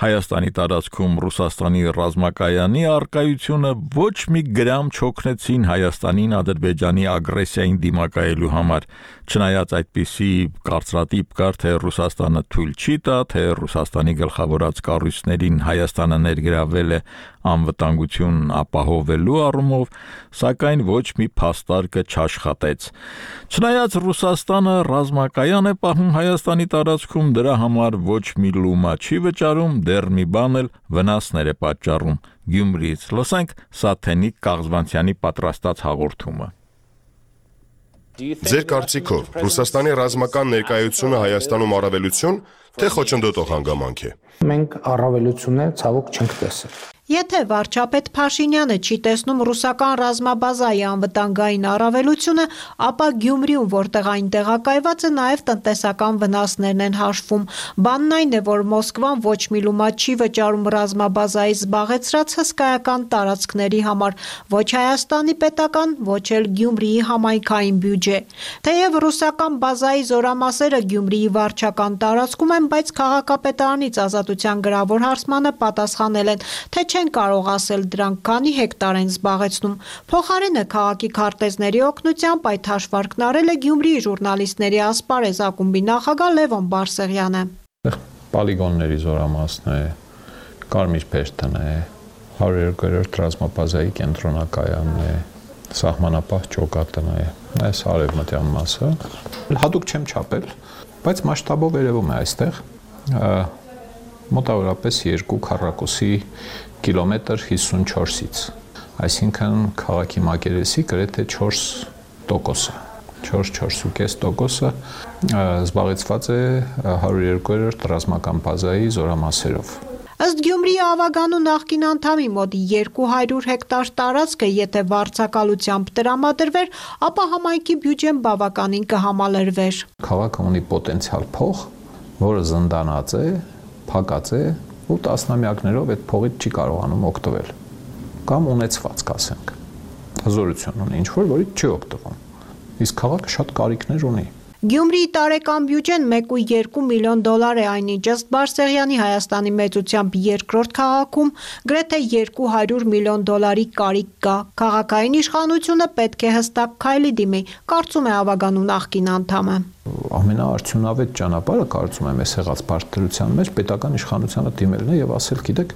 Հայաստանի տարածքում Ռուսաստանի ռազմակայանի առկայությունը ոչ մի գրամ չօգնեցին Հայաստանին Ադրբեջանի ագրեսիային դիմակայելու համար, չնայած այդպիսի կարծրատիպ կար, թե Ռուսաստանը թույլ չի տա, թե Ռուսաստանի գլխավորած կառույցներին Հայաստանը ներգրավել է անվտանգություն ապահովելու առումով, սակայն ոչ մի փաստարկը չաշխատեց։ Չնայած Ռուսաստանը ռազմակայան է պահում Հայաստանի տարածքում, դրա համար ոչ մի լումա չի վճարում, դեռ մի բան էլ վնասներ է պատճառում։ Գյումրիից լսենք Սաթենիկ Կաղզվանցյանի պատրաստած հաղորդումը։ Ձեր կարծիքով Ռուսաստանի ռազմական ներկայությունը Հայաստանում առավելություն, թե խոչընդոտող հանգամանք է։ Մենք առավելություններ ցավոք չենք տեսել։ Եթե վարչապետ Փաշինյանը չի տեսնում ռուսական ռազմաբազայի անվտանգային առավելությունը, ապա Գյումրիում, որտեղ այն տեղակայված է, նաև տնտեսական վնասներն են հաշվում։ Բանն այն է, որ Մոսկվան ոչ մի լումա չի վճարում ռազմաբազայի զբաղեցրած հսկայական տարածքների համար, ոչ Հայաստանի պետական, ոչ էլ Գյումրիի համայնքային բյուջե։ Թեև ռուսական բազայի զորամասերը Գյումրիի վարչական տարածքում են, բայց քաղաքապետարանից Ազատության գրավոր հարցմանը պատասխանել են, թե չեն կարող ասել դրանք քանի հեկտար են զբաղեցնում։ Փոխարենը քաղաքի քարտեզների օգնությամբ այդ հաշվարկն արել է Գյումրիի ժուրնալիստների ասպարեզ ակումբի նախագահ Լևոն Բարսեղյանը։ Պոլիգոնների զորամասն է, Կարմիր Փեշտն է, հարյուր երկրորդ ռազմաբազայի կենտրոնակայանն է, սահմանապահ ճոկատն է, այս արևմտյան մասը։ Հատուկ չեմ չափել, բայց մասշտաբով երևում է այստեղ մոտավորապես երկու քառակուսի կիլոմետր հիսունչորսից, այսինքն քաղաքի մակերեսի գրեթե չորս տոկոսը, չորս-չորս ու կես տոկոսը զբաղեցված է հարյուր երկրորդ ռազմական բազայի զորամասերով։ Ըստ Գյումրիի Ավագանու նախկին անդամի մոտ երկու հարյուր հեկտար տարածքը, եթե վարձակալությամբ տրամադրվեր, ապա համայնքի բյուջեն բավականին կհամալրվեր։ Քաղաքը ունի պոտենցիալ փող, որը զնդանած է, փակած է ու տասնամյակներով այդ փողից չի կարողանում օգտվել կամ ունեցված, ասենք, հզորություն ունի ինչ-որ, որից չի օգտվում։ Իսկ քաղաքը շատ կարիքներ ունի։ Գյումրիի տարեկան բյուջեն մեկ ու երկու միլիոն դոլար է, այնինչ ըստ Բարսեղյանի Հայաստանի մեծությամբ երկրորդ քաղաքում գրեթե երկու հարյուր միլիոն դոլարի կարիք կա։ Քաղաքային իշխանությունը պետք է հստակ քայլի դիմի, կարծում է Ավագանու նախկին անդամը։ Ամենաարդյունավետ ճանապարհը, կարծում եմ, այս եղած բարդության մեջ պետական իշխանությանը դիմելն է եւ ասել, գիտեք,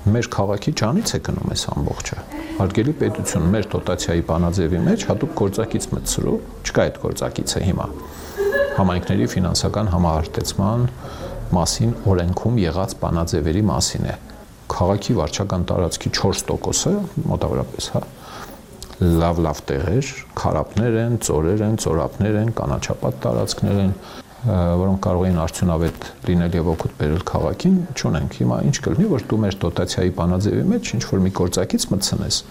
մեր քաղաքի ջանից է գնում այս ամբողջը։ Հարգելի պետություն, մեր դոտացիայի բանաձևի մեջ հատուկ գործակից մտցրու, չկա այդ գործակիցը հիմա։ Համայնքների ֆինանսական համահարտեցման մասին օրենքում եղած բանաձևերի մասին է։ Քաղաքի վարչական տարածքի չորս տոկոսը մոտավորապես, հա, լավ-լավ տեղեր, քարապներ են, ծորեր են, ծորապներ են, կանաչապատ տարածքներ են, որոնք կարող էին արդյունավետ լինել եւ օգուտ բերել քաղաքին, չունենք։ Հիմա ինչ կլինի, որ դու մեր դոտացիայի բանաձևի մեջ ինչ որ մի գործակից մտցնես,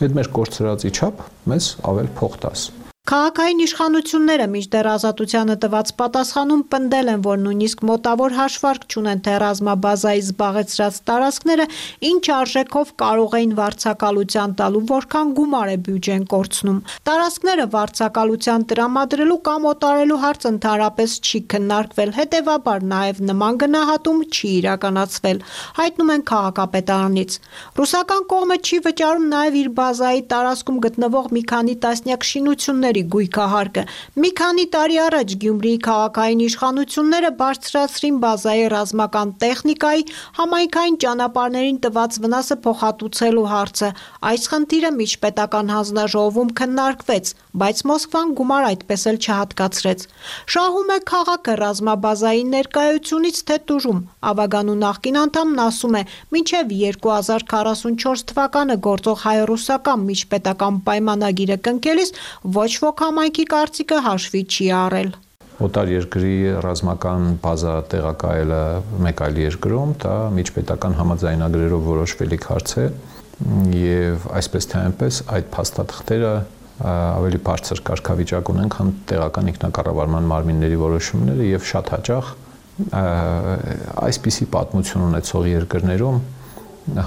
այդ մեր կորցրածի չափ մեզ ավել փող տաս։ Քաղաքային իշխանությունները մինչդեռ Ազատությանը տված պատասխանում պնդել են, որ նույնիսկ մոտավոր հաշվարկ չունեն, թե ռազմաբազայի զբաղեցրած տարածքները ինչ արժեքով կարող էին վարձակալության տալու, որքան գումար է բյուջեն կորցնում։ Տարածքները վարձակալության տրամադրելու կամ օտարելու հարց ընդհանրապես չի քննարկվել, հետևաբար նաև նման գնահատում չի իրականացվել, հայտնում են քաղաքապետարանից։ Ռուսական կողմը չի վճարում նաև իր բազայի տարածքում գտնվող մի քանի տասնյակ շինությունների գույքահարկը։ Մի քանի տարի առաջ Գյումրիի քաղաքային իշխանությունները բարձրացրին բազայի ռազմական տեխնիկայի համայնքային ճանապարհներին տված վնասը փոխհատուցելու հարցը։ Այս խնդիրը միջպետական հանձնաժողովում քննարկվեց, բայց Մոսկվան գումար այդպես էլ չհատկացրեց։ Շահում է քաղաքը ռազմաբազայի ներկայությունից թե տուժում։ Ավագանու նախկին անդամն ասում է, մինչև երկու հազար քառասունչորս թվականը գործող հայ-ռուսական միջպետական պայմանագիրը կնքելիս ոչ ոք համայնքի կարծիքը հաշվի չի առել։ Օտար երկրի ռազմական բազա տեղակայելը մեկ այլ երկրում, դա միջպետական համաձայնագրերով որոշվելիք հարց է եւ այսպես թե այնպես այդ փաստաթղթերը ավելի բարձր կարգավիճակ ունեն, քան տեղական ինքնակառավարման մարմինների որոշումները եւ շատ հաճախ այսպիսի պատմություն ունեցող երկրներում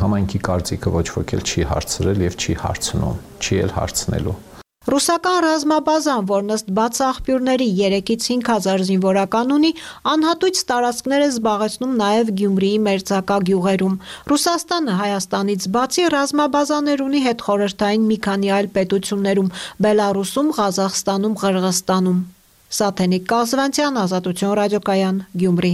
համայնքի կարծիքը ոչ ոք էլ չի հարցրել եւ չի հարցնում, չի էլ հարցնելու։ Ռուսական ռազմաբազան, որն ըստ բաց աղբյուրների երեքից հինգ հազար զինվորական ունի, անհատույց տարածքներ է զբաղեցնում նաև Գյումրիի մերձակա գյուղերում։ Ռուսաստանը Հայաստանից բացի ռազմաբազաներ ունի հետխորհրդային մի քանի այլ պետություններում՝ Բելարուսում, Ղազախստանում, Ղրղստանում։ Սաթենիկ Կազվանցյան, Ազատություն ռադիոկայան, Գյումրի։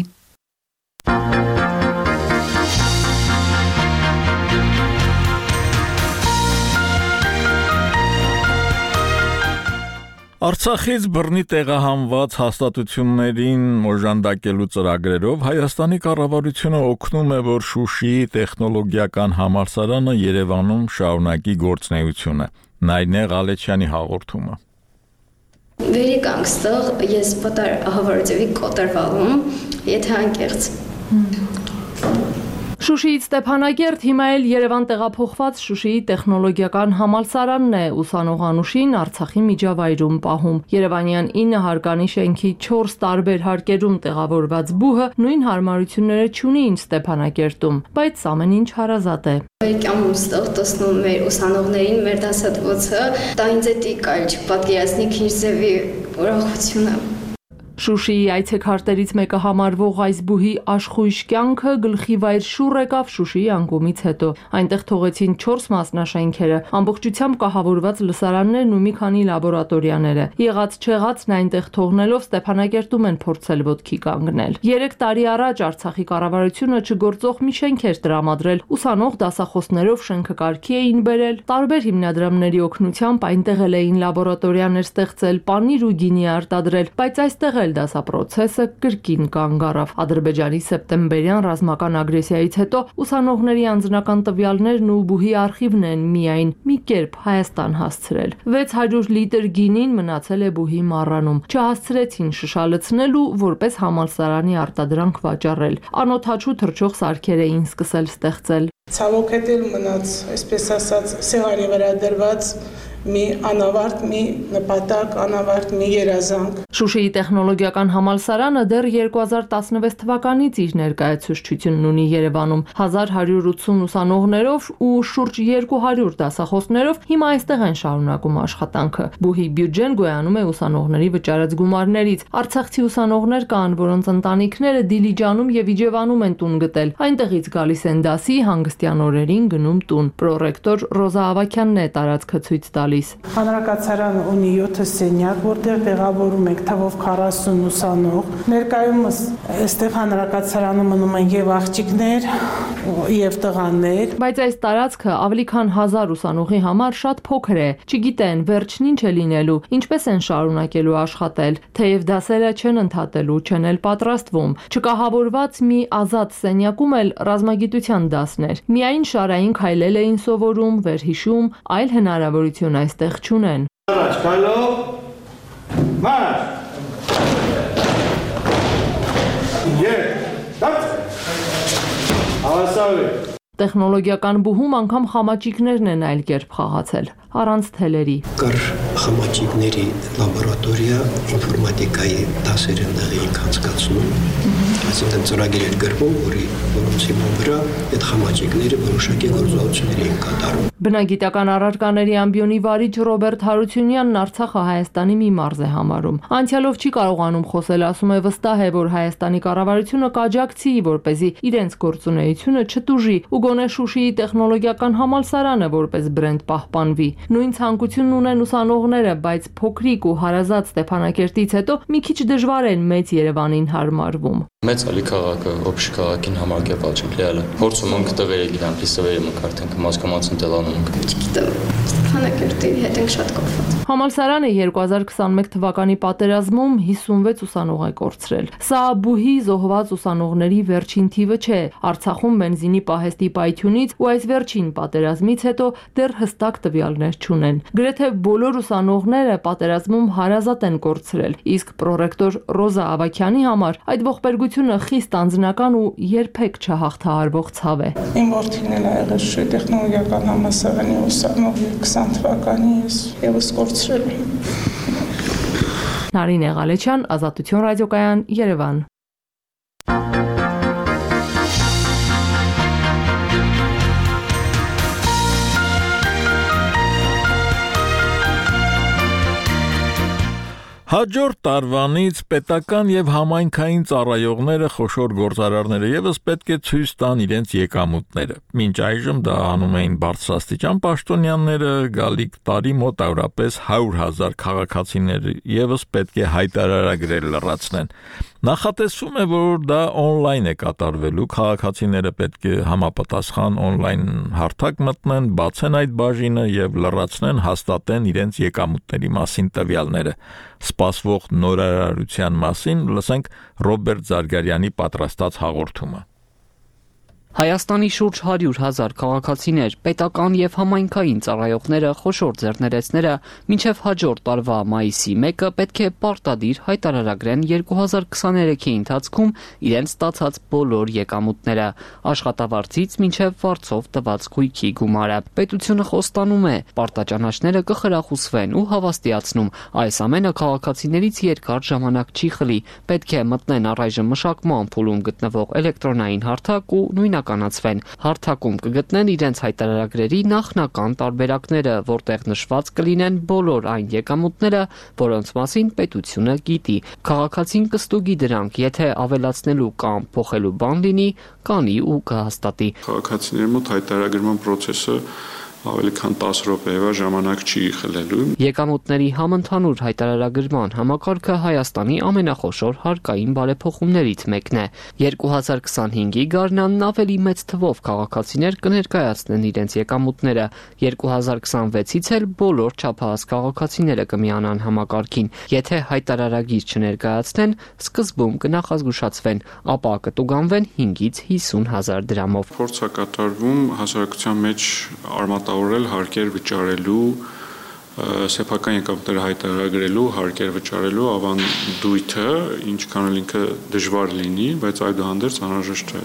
Արցախից բռնի տեղահանված հաստատություններին օժանդակելու ծրագրերով Հայաստանի կառավարությունը օգնում է, որ Շուշիի տեխնոլոգիական համալսարանը Երևանում շարունակի գործունեությունը։ Նայնե Ղալեչյանի հաղորդումը։ Վերիկանք ստեղ ես պատար հավարդեվի կոտրվալում, եթե անկեղծ։ Շուշիից Ստեփանագերտ հիմա էլ Երևան տեղափոխված Շուշիի տեխնոլոգիական համալսարանն է ուսանող Անուշին Արցախի միջավայրում պահում։ Երևանյան ինը հարկանի շենքի չորս տարբեր հարկերում տեղավորված բուհը նույն հարմարությունները չունի ինչ Ստեփանագերտում, բայց ամեն ինչ հարազատ է։ Վերիկյանում ստեղ տեսնում մեր ուսանողներին մեր դասատվոցը, դա ինձ է տիկայլ չպատկերացնի քիրզևի ուրախությունը։ Շուշիի այցեքարտերից մեկը համարվող այս բուհի աշխույժ կյանքը գլխի վայր շուռ եկավ Շուշիի անկումից հետո։ Այնտեղ թողեցին չորս մասնաշենքերը, ամբողջությամբ կահավորված լսարաններն ու մի քանի լաբորատորիաները։ Եղած չեղածն այնտեղ թողնելով Ստեփանագերտում են փորձել ոտքի կանգնել։ Երեք տարի առաջ Արցախի կառավարությունը չգործող մի շենք էր տրամադրել, ուսանող դասախոսներով շենքը կարգի էին բերել, տարբեր հիմնադրամների օգնությամբ այնտեղ էլ էին լաբորատորիաներ ստեղծել, պանիր ու գինի արտադրել, բայց այստեղ դասապրոցեսը կրկին կանգ առավ։ Ադրբեջանի սեպտեմբերյան ռազմական ագրեսիայից հետո ուսանողների անձնական տվյալներն ու բուհի արխիվն են միայն մի կերպ Հայաստան հասցրել։ վեց հարյուր լիտր գինին մնացել է բուհի մառանում։ Չհասցրեցին շշալցնել ու որպես համալսարանի արտադրանք վաճառել։ Անօթաչու թռչող սարքեր էին սկսել ստեղծել։ Ցավոք հետել մնաց, այսպես ասած, սեղանի վրա դրված մի անավարտ մի նպատակ, անավարտ մի երազանք։ Շուշիի տեխնոլոգիական համալսարանը դեռ երկու հազար տասնվեց թվականից իր ներկայացուցչությունն ունի Երևանում հազար հարյուր ութսուն ուսանողներով ու շուրջ երկու հարյուր դասախոսներով հիմա այստեղ են շարունակում աշխատանքը։ Բուհի բյուջեն գոյանում է ուսանողների վճարած գումարներից։ Արցախցի ուսանողներ կան, որոնց ընտանիքները Դիլիջանում եւ Իջևանում են տուն գտել։ Այնտեղից գալիս են դասի, հանգստյան օրերին գնում տուն։ Պրոռեկտոր Ռոզա Ավակյանն է տարածքը ցույց տալիս։ Հանրակացարանը ունի յոթ սենյակ, որտեղ տեղավորում ենք թվով քառասուն ուսանող։ Ներկայումս այստեղ հանրակացարանում մնում են եւ աղջիկներ, եւ տղաներ։ Բայց այս տարածքը ավելի քան հազար ուսանողի համար շատ փոքր է։ Չգիտեն վերջին ինչ է լինելու, ինչպես են շարունակելու աշխատել, թեև դասերը չեն ընդհատելու, չեն էլ պատրաստվում։ Չկահավորված մի ազատ սենյակում էլ ռազմագիտության դասներ։ Միայն շարային քայլել էին սովորում, վերհիշում, այլ հնարավորություն այստեղ չունեն։ Առաջ քայլով։ Մարշ։ Եկ։ Հավասարի։ Տեխնոլոգիական բուհում անգամ խամաճիկներն են այլ կերպ խաղացել, առանց թելերի։ Կար խամաճիկների լաբորատորիա, ինֆորմատիկայի դասեր են դեղին անցկացնում, այսինքն ծրագիր էր գրվում, որի որոնց հիման վրա այդ խամաճիկները որոշակի գործողություններ էին կատարում։ Բնագիտական առարկաների ամբիոնի վարիչ Ռոբերտ Հարությունյանն Արցախը Հայաստանի մի մարզ է համարում։ Անցյալով չի կարողանում խոսել, ասում է վստահ է, որ Հայաստանի կառավարությունը կաջակցի, որպեսզի իրենց գործունեությունը չտուժի ու գոնե Շուշիի տեխնոլոգիական համալսարանը որպես բրենդ պահպանվի։ Նույն ցանկությունն ունեն ուսանողները, բայց փոքրիկ ու հարազատ Ստեփանակերտից հետո մի քիչ դժվար են մեծ Երևանին հարմարվում։ Մեծ ալի քաղաքը, օբշ քաղաքին համարգել չենք լիալը։ Փորձում ենք տղերը գիտենք, լիսավերը մենք արդեն կմասկամացն տելանում ենք։ Չգիտեմ, Ստեփանակերտի հետ ենք շատ կապված։ Համալսարանը երկու հազար քսանմեկ թվականի պատերազմում հիսունվեց ուսանող է կորցրել։ Սա բուհի զոհված ուսանողների վերջին թիվը չէ։ Արցախում բենզինի պահեստի պայթյունից ու այս վերջին պատերազմից հետո դեռ հստակ տվյալներ չունեն։ Գրեթե բոլոր ուսանողները պատերազմում հարազատ են կորցրել, իսկ պրոռեկտոր Ռոզա Ավակյանի համար այդ ողբերգությունը խիստ անձնական ու երբեք չհաղթահարվող ցավ է։ Իմ որդին էլ եղել է տեխնոլոգիական համալսարանի ուսանող քսան թվականի ես եւս կորցրել եմ։ Նարինե Ղալեչյան, Ազատություն ռադիոկայան, Երևան։ Հաջորդ տարվանից պետական եւ համայնքային ծառայողները, խոշոր գործարարները եւս պետք է ցույց տան իրենց եկամուտները։ Մինչ այժմ դա անում էին բարձրաստիճան պաշտոնյաները, գալիք տարի մոտ ավրապես հարյուր հազար քաղաքացիներ եւս պետք է հայտարարագրեր լրացնեն։ Նախատեսվում է, որ դա on-line է կատարվելու, քաղաքացիները պետք է համապատասխան on-line հարթակ մտնեն, բացեն այդ բաժինը եւ լրացնեն, հաստատեն իրենց եկամուտների մասին տվյալները։ Սպասվող նորարարության մասին լսենք Ռոբերտ Զարգարյանի պատրաստած հաղորդումը։ Հայաստանի շուրջ հարյուր հազար քաղաքացիներ, պետական եւ համայնքային ծառայողները, խոշոր ձեռներեցները մինչեւ հաջորդ տարվա մայիսի մեկը պետք է պարտադիր հայտարարագրեն երկու հազար քսաներեքի ընթացքում իրենց ստացած բոլոր եկամուտները, աշխատավարձից մինչեւ վարձով տված գույքի գումարը։ Պետությունը խոստանում է, պարտաճանաչները կխրախուսվեն ու հավաստիացնում, այս ամենը քաղաքացիներից երկար ժամանակ չի խլի, պետք է մտնեն առայժմ մշակման փուլում գտնվող էլեկտրոնային հարթակ ու նույն կանացվեն։ Հարթակում կգտնեն իրենց հայտարարագրերի նախնական տարբերակները, որտեղ նշված կլինեն բոլոր այն եկամուտները, որոնց մասին պետությունը գիտի։ Քաղաքացին կստուգի դրանք, եթե ավելացնելու կամ փոխելու բան լինի, կանի ու կհաստատի։ Քաղաքացիների մոտ հայտարարման process-ը ավելի քան տասը րոպեվա ժամանակ չի խլելու։ Եկամուտների համընդհանուր հայտարարագրման համակարգը Հայաստանի ամենախոշոր հարկային բարեփոխումներից մեկն է։ երկու հազար քսանհինգի գարնանն ավելի մեծ թվով քաղաքացիներ կներկայացնեն իրենց եկամուտները, երկու հազար քսանվեցից էլ բոլոր չափահաս քաղաքացիները կմիանան համակարգին։ Եթե հայտարարագիր չներկայացնեն, սկզբում կնախազգուշացվեն, ապա կտուգանվեն հինգից հիսուն հազար դրամով։ Փորձ է կատարվում հասարակության մեջ արմատավորել հարկեր վճարելու, սեփական եկամուտները հայտարարագրելու, հարկեր վճարելու ավանդույթը, ինչքան էլ ինքը դժվար լինի, բայց այդուհանդերձ անհրաժեշտ է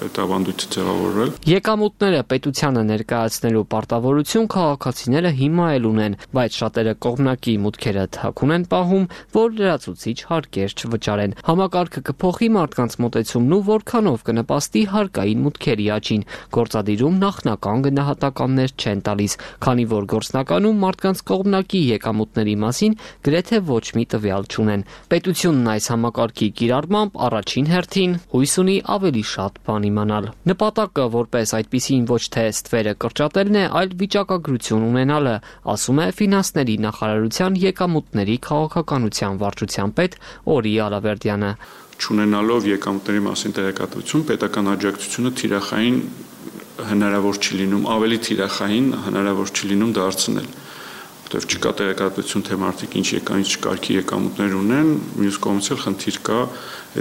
այդ ավանդույթը ձևավորել։ Եկամուտները պետությանը ներկայացնելու պարտավորություն քաղաքացիները հիմա էլ ունեն, բայց շատերը կողմնակի մուտքերը թաքուն են պահում, որ լրացուցիչ հարկեր չվճարեն։ Համակարգը կփոխի մարդկանց մոտեցումն ու որքանով կնպաստի հարկային մուտքերի աճին։ Գործադիրում նախնական գնահատականներ չեն տալիս, քանի որ գործնականում մարդկանց կողմնակի եկամուտների մասին գրեթե ոչ մի տվյալ չունեն։ Պետությունն այս համակարգի կիրառմամբ առաջին հերթին հույս ունի ավելի շատ բան իմանալ։ Նպատակը որպես այդպիսին ոչ թե ստվերը կրճատելն է, այլ վիճակագրություն ունենալը, ասում է ֆինանսների նախարարության եկամուտների քաղաքականության վարչության պետ Օրի Ալավերդյանը։ Չունենալով եկամուտների մասին տեղեկատվություն, պետական աջակցությունը թիրախային հնարավոր չի լինում, ավելի թիրախային հնարավոր չի լինում դարձնել։ Որտեվ չկա տեղեկատվություն, թե մարդիկ ինչ եկան, ինչ կարգի եկամուտներ ունեն, մյուս կողմից էլ խնդիր կա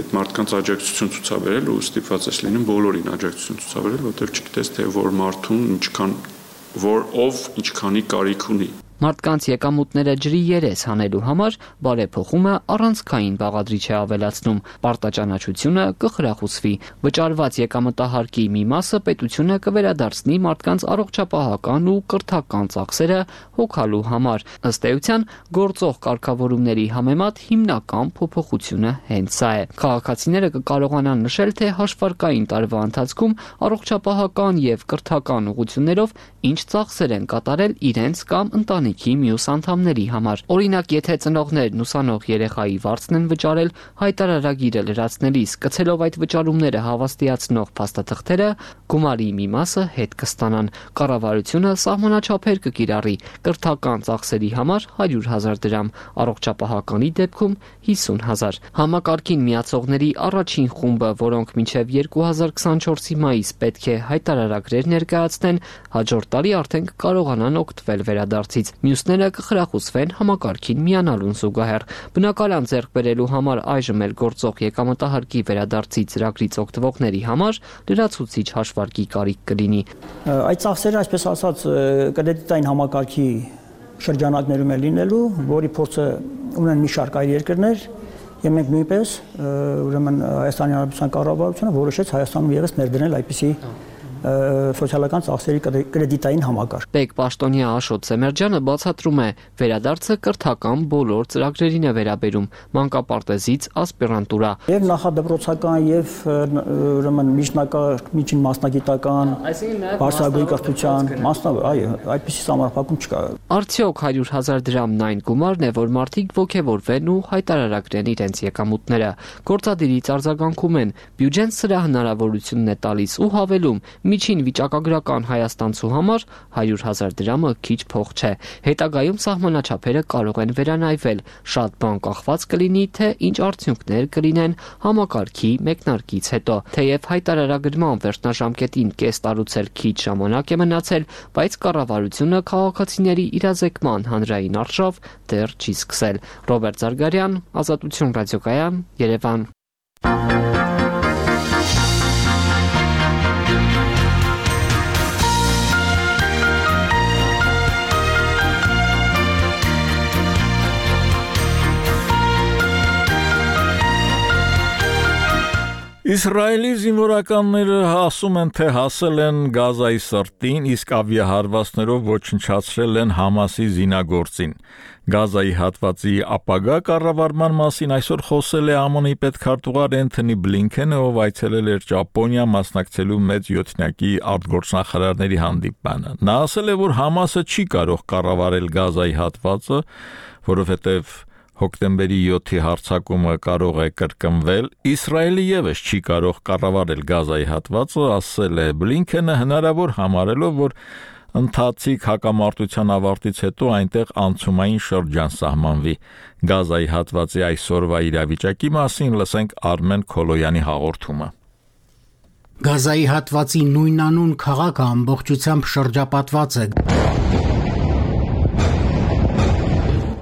այդ մարդկանց աջակցություն ցուցաբերել ու ստիպված ես լինում բոլորին աջակցություն ցուցաբերել, որտեվ չգիտես թե որ մարդուն ինչքան որ ով ինչքանի կարիք ունի։ Մարդկանց եկամուտները ջրի երես հանելու համար բարեփոխումը առանցքային բաղադրիչ է ավելացնում, պարտաճանաչությունը կխրախուսվի, վճարված եկամտահարկի մի մասը պետությունը կվերադարձնի մարդկանց առողջապահական ու կրթական ծախսերը հոգալու համար։ Ըստ էության, գործող կարգավորումների համեմատ հիմնական փոփոխությունը հենց սա է։ Քաղաքացիները կկարողանան նշել, թե հաշվարկային տարվա ընթացքում առողջապահական եւ կրթական ուղղություններով ինչ ծախսեր են կատարել իրենց կամ ընտանիքի մյուս անդամների համար։ Օրինակ, եթե ծնողներն ուսանող երեխայի վարձն են վճարել, հայտարարագիրը լրացնելիս կցելով այդ վճարումները հավաստիացնող փաստաթղթերը, գումարի մի մասը հետ կստանան։ Կառավարությունը սահմանաչափեր կկիրառի կրթական ծախսերի համար հարյուր հազար դրամ, առողջապահականի դեպքում հիսուն հազար։ Համակարգին միացողների առաջին խումբը, որոնք մինչև երկու հազար քսանչորսի մայիս պետք է հայտարարագրեր ներկայացնեն, հաջորդ տարի արդեն կկարողանան օգտվել վերադարձից։ Մյուսները կխրախուսվեն համակարգին միանալուն զուգահեռ։ Բնակարան ձեռք բերելու համար այժմ էլ գործող եկամտահարկի վերադարձի ծրագրից օգտվողների համար լրացուցիչ հաշվարկի կարիք կլինի։ Այդ ծախսերը, այսպես ասած, կրեդիտային համակարգի շրջանակներում է լինելու, որի փորձը ունեն մի շարք այլ երկրներ, եւ մենք նույնպես ուրեմն Հայաստանի Հանրապետության կառավարությունը որոշեց Հայաստանում եւս ներդնել այդպիսի սոցիալական ծախսերի կրեդիտային համակարգ։ Տեկ պաշտոնյա Աշոտ Սեմերջյանը բացատրում է, վերադարձը կրթական բոլոր ծրագրերին է վերաբերում, մանկապարտեզից ասպիրանտուրա։ Եվ նախադպրոցական եւ ուրեմն միջին մասնագիտական, բարձրագույն կրթության, մասնավոր, այո, այդպիսի համարփակում չկա։ Արդյոք հարյուր հազար դրամն այն գումարն է, որ մարդիկ ոգևորվեն ու հայտարարագրեն իրենց եկամուտները։ Գործադիրից արձագանքում են, բյուջեն սրա հնարավորությունն է տալիս ու հավելում, միջին վիճակագրական հայաստանցու համար հարյուր հազար դրամը քիչ փող չէ։ Հետագայում սահմանաչափերը կարող են վերանայվել, շատ բան կախված կլինի, թե ինչ արդյունքներ կլինեն համակարգի մեկնարկից հետո։ Թեև հայտարարագրման վերջնաժամկետին կես տարուց էլ քիչ ժամանակ է մնացել, բայց կառավարությունը քաղաքացիների իրազեկման հանրային արշավ դեռ չի սկսել։ Ռոբերտ Զարգարյան, Ազատություն ռադիոկայան, Երևան։ Իսրայելի զինվորականները ասում են, թե հասել են Գազայի սրտին, իսկ ավիահարվածներով ոչնչացրել են Համասի զինագործին։ Գազայի հատվածի ապագա կառավարման մասին այսօր խոսել է ԱՄՆ-ի պետքարտուղար Էնթոնի Բլինքենը, ով այցելել էր Ճապոնիա մասնակցելու մեծ յոթնյակի արտգործնախարարների հանդիպմանը։ Նա ասել է, որ Համասը չի կարող կառավարել Գազայի հատվածը, որովհետև հոկտեմբերի յոթի հարձակումը կարող է կրկնվել, Իսրայելը եւս չի կարող կառավարել Գազայի հատվածը, ասել է Բլինքենը, հնարավոր համարելով, որ ընթացիկ հակամարտության ավարտից հետո այնտեղ անցումային շրջան սահմանվի։ Գազայի հատվածի այսօրվա իրավիճակի մասին լսենք Արմեն Քոլոյանի հաղորդումը։ Գազայի հատվածի նույնանուն քաղաքը ամբողջությամբ շրջապատված է։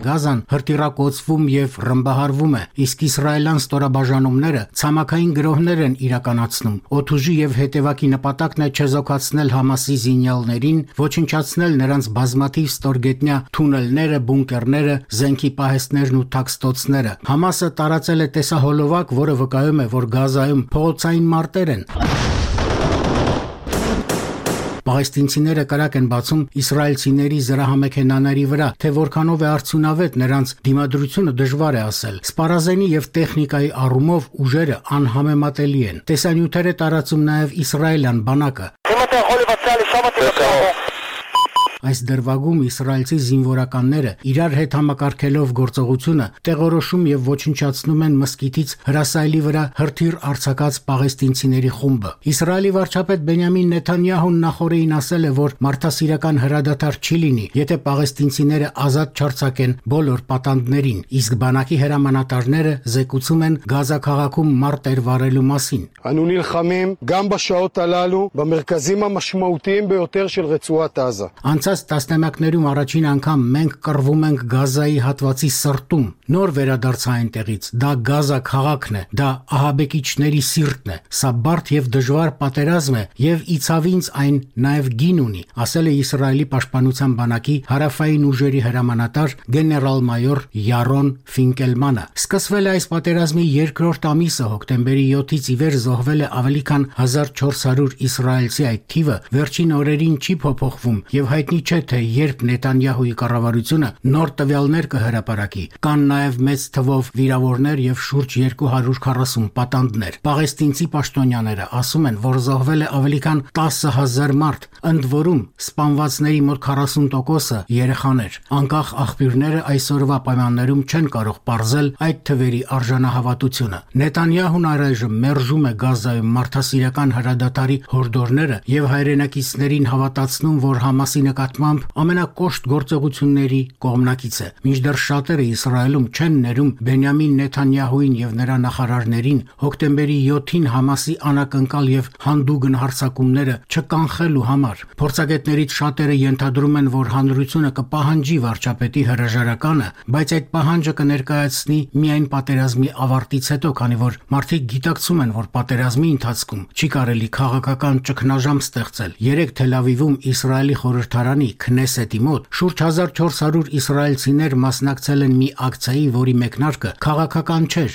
Գազան հրտիրակոծվում եւ ռմբահարվում է, իսկ իսրայելյան ստորաբաժանումները ցամաքային գրոհներ են իրականացնում։ Օդուժի եւ հետևակի նպատակն է չեզոքացնել Համասի զինյալներին, ոչնչացնել նրանց բազմաթիվ ստորգետնյա թունելները, բունկերները, զենքի պահեստներն ու թաքստոցները։ Համասը տարածել է տեսահոլովակ, որը վկայում է, որ Գազայում փողոցային մարտեր են։ Պաղեստինցիները կրակ են բացում իսրայելցիների զրահամեքենաների վրա, թե որքանով է արդյունավետ նրանց դիմադրությունը դժվար է ասել։ Սպառազենի եւ տեխնիկայի առումով ուժերը անհամեմատելի են։ Տեսանյութեր է տարածում նաեւ իսրայելյան բանակը։ Այս դրվագում իսրայելցի զինվորականները իրար հետ համակարգելով գործողությունը տեղորոշում եւ ոչնչացնում են մսկիթից հրասայլի վրա հրթիռ արձակած պաղեստինցիների խումբը։ Իսրայելի վարչապետ Բենյամին Նեթանյահուն նախորդին ասել է, որ մարդասիրական հրադադար չի լինի, եթե պաղեստինցիները ազատ չարձակեն բոլոր պատանդներին, իսկ բանակի հրամանատարները զեկուցում են Գազա քաղաքում մարտեր վարելու մասին։ אנו נלחמים גם בשעות הללו במרכזים המשמעותיים ביותר של רצועת עזה. Տասնամյակներում առաջին անգամ մենք կռվում ենք Գազայի հատվածի սրտում։ Նոր վերադարձ այնտեղից, դա Գազա քաղաքն է, դա ահաբեկիչների սիրտն է։ Սա բարդ եւ դժվար պատերազմ է եւ իցավինց այն նաեւ գին ունի, ասել է Իսրայելի պաշտպանության բանակի հարավային ուժերի հրամանատար գեներալ-մայոր Յարոն Ֆինկելմանը։ Սկսվել է այս պատերազմի երկրորդ ամիսը, հոկտեմբերի յոթից ի վեր զոհվել է ավելի քան հազար չորս հարյուր իսրայելցի, այդ թիվը վերջին օրերին չի փոփոխվում եւ հայտնի չէ, թե երբ Նետանյահուի կառավարությունը նոր տվյալներ կհրապարակի։ Կան նաև մեծ թվով վիրավորներ եւ շուրջ երկու հարյուր քառասուն պատանդներ։ Պաղեստինցի պաշտոնյաները ասում են, որ զոհվել է ավելի քան տասը հազար մարդ, ընդ որում սպանվածների մոտ քառասուն տոկոսը երեխաներ։ Անկախ աղբյուրները այսօրվա պայմաններում չեն կարող պարզել այդ թվերի արժանահավատությունը։ Նետանյահուն առայժմ մերժում է Գազայում մարդասիրական հրադադարի հորդորները եւ հայրենակիցներին հավատացնում, որ Համասի նկատմամբ ամենակոշտ գործողությունների կողմնակից է։ Մինչդեռ շատերը Իսրայելում չեն ներում Բենյամին Նեթանյահուին եւ նրա նախարարներին հոկտեմբերի յոթին Համասի անակնկալ եւ հանդուգն հարձակումները չկանխելու համար։ Փորձագետներից շատերը ենթադրում են, որ հանրությունը կպահանջի վարչապետի հրաժարականը, բայց այդ պահանջը կներկայացնի միայն պատերազմի ավարտից հետո, քանի որ մարդիկ գիտակցում են, որ պատերազմի ընթացքում չի կարելի քաղաքական ճգնաժամ ստեղծել։ Երեք Թել Ավիվում Իսրայելի խորհրդարանի Քնեսետի մոտ շուրջ հազար չորս հարյուր իսրայելցիներ մասնակցել են մի ակցիայի, որի մեկնարկը քաղաքական չէր։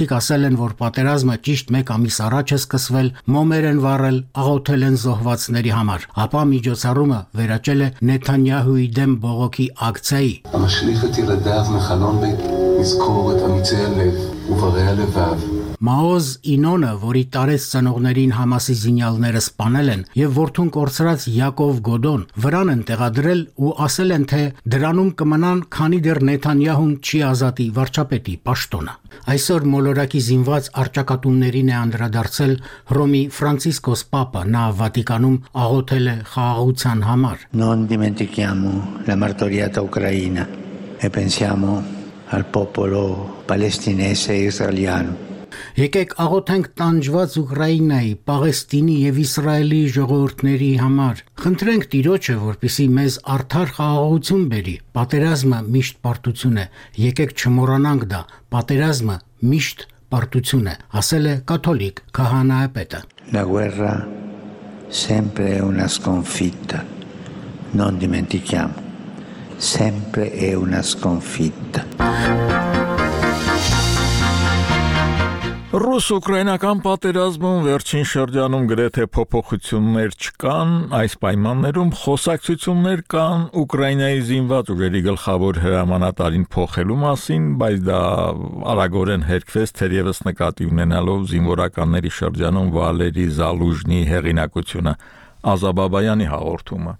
Մարդիկ ասել են, որ պատերազմը ճիշտ մեկ ամիս առաջ է սկսվել, մոմեր են վառել, աղոթել են զոհվածների համար, ապա միջոցառումը վերաճել է Նեթանյահուի դեմ բողոքի ակցիայի։ המשליך את ילדיו מחלון בית נזכור את אמיצי הלב וברי הלבב Մաոզ Ինոնը, որի տարեց ծնողներին Համասի զինյալները սպանել են եւ որդուն կորցրած Յակով Գոդոն վրան են տեղադրել ու ասել են, թե դրանում կմնան, քանի դեռ Նեթանյահուն չի ազատի վարչապետի պաշտոնը։ Այսօր մոլորակի զինված արճակատումներին է անդրադարձել Հռոմի Ֆրանցիսկոս Պապը, նա Վատիկանում աղոթել է խաղաղության համար։ Non dimentichiamo la martoriata Ucraina e pensiamo al popolo palestinese e israeliano. Եկեք աղոթենք տանջված Ուկրաինայի, Պաղեստինի եւ Իսրայելի ժողովուրդների համար։ Խնդրենք Տիրոջը, որպեսզի մեզ արդար խաղաղություն բերի։ Պատերազմը միշտ պարտություն է։ Եկեք չմոռանանք դա։ Պատերազմը միշտ պարտություն է, ասել է կաթոլիկ քահանայապետը։ La guerra sempre è una sconfitta. Non dimentichiamo. Sempre è una sconfitta. Ռուս-ուկրաինական պատերազմում վերջին շրջանում գրեթե փոփոխություններ չկան, այս պայմաններում խոսակցություններ կան Ուկրաինայի զինված ուժերի գլխավոր հրամանատարին փոխելու մասին, բայց դա արագորեն հերքվեց թերևս նկատի ունենալով զինվորականների շրջանում Վալերի Զալուժնի հեղինակությունը, Ազաբաբայանի հաղորդումը։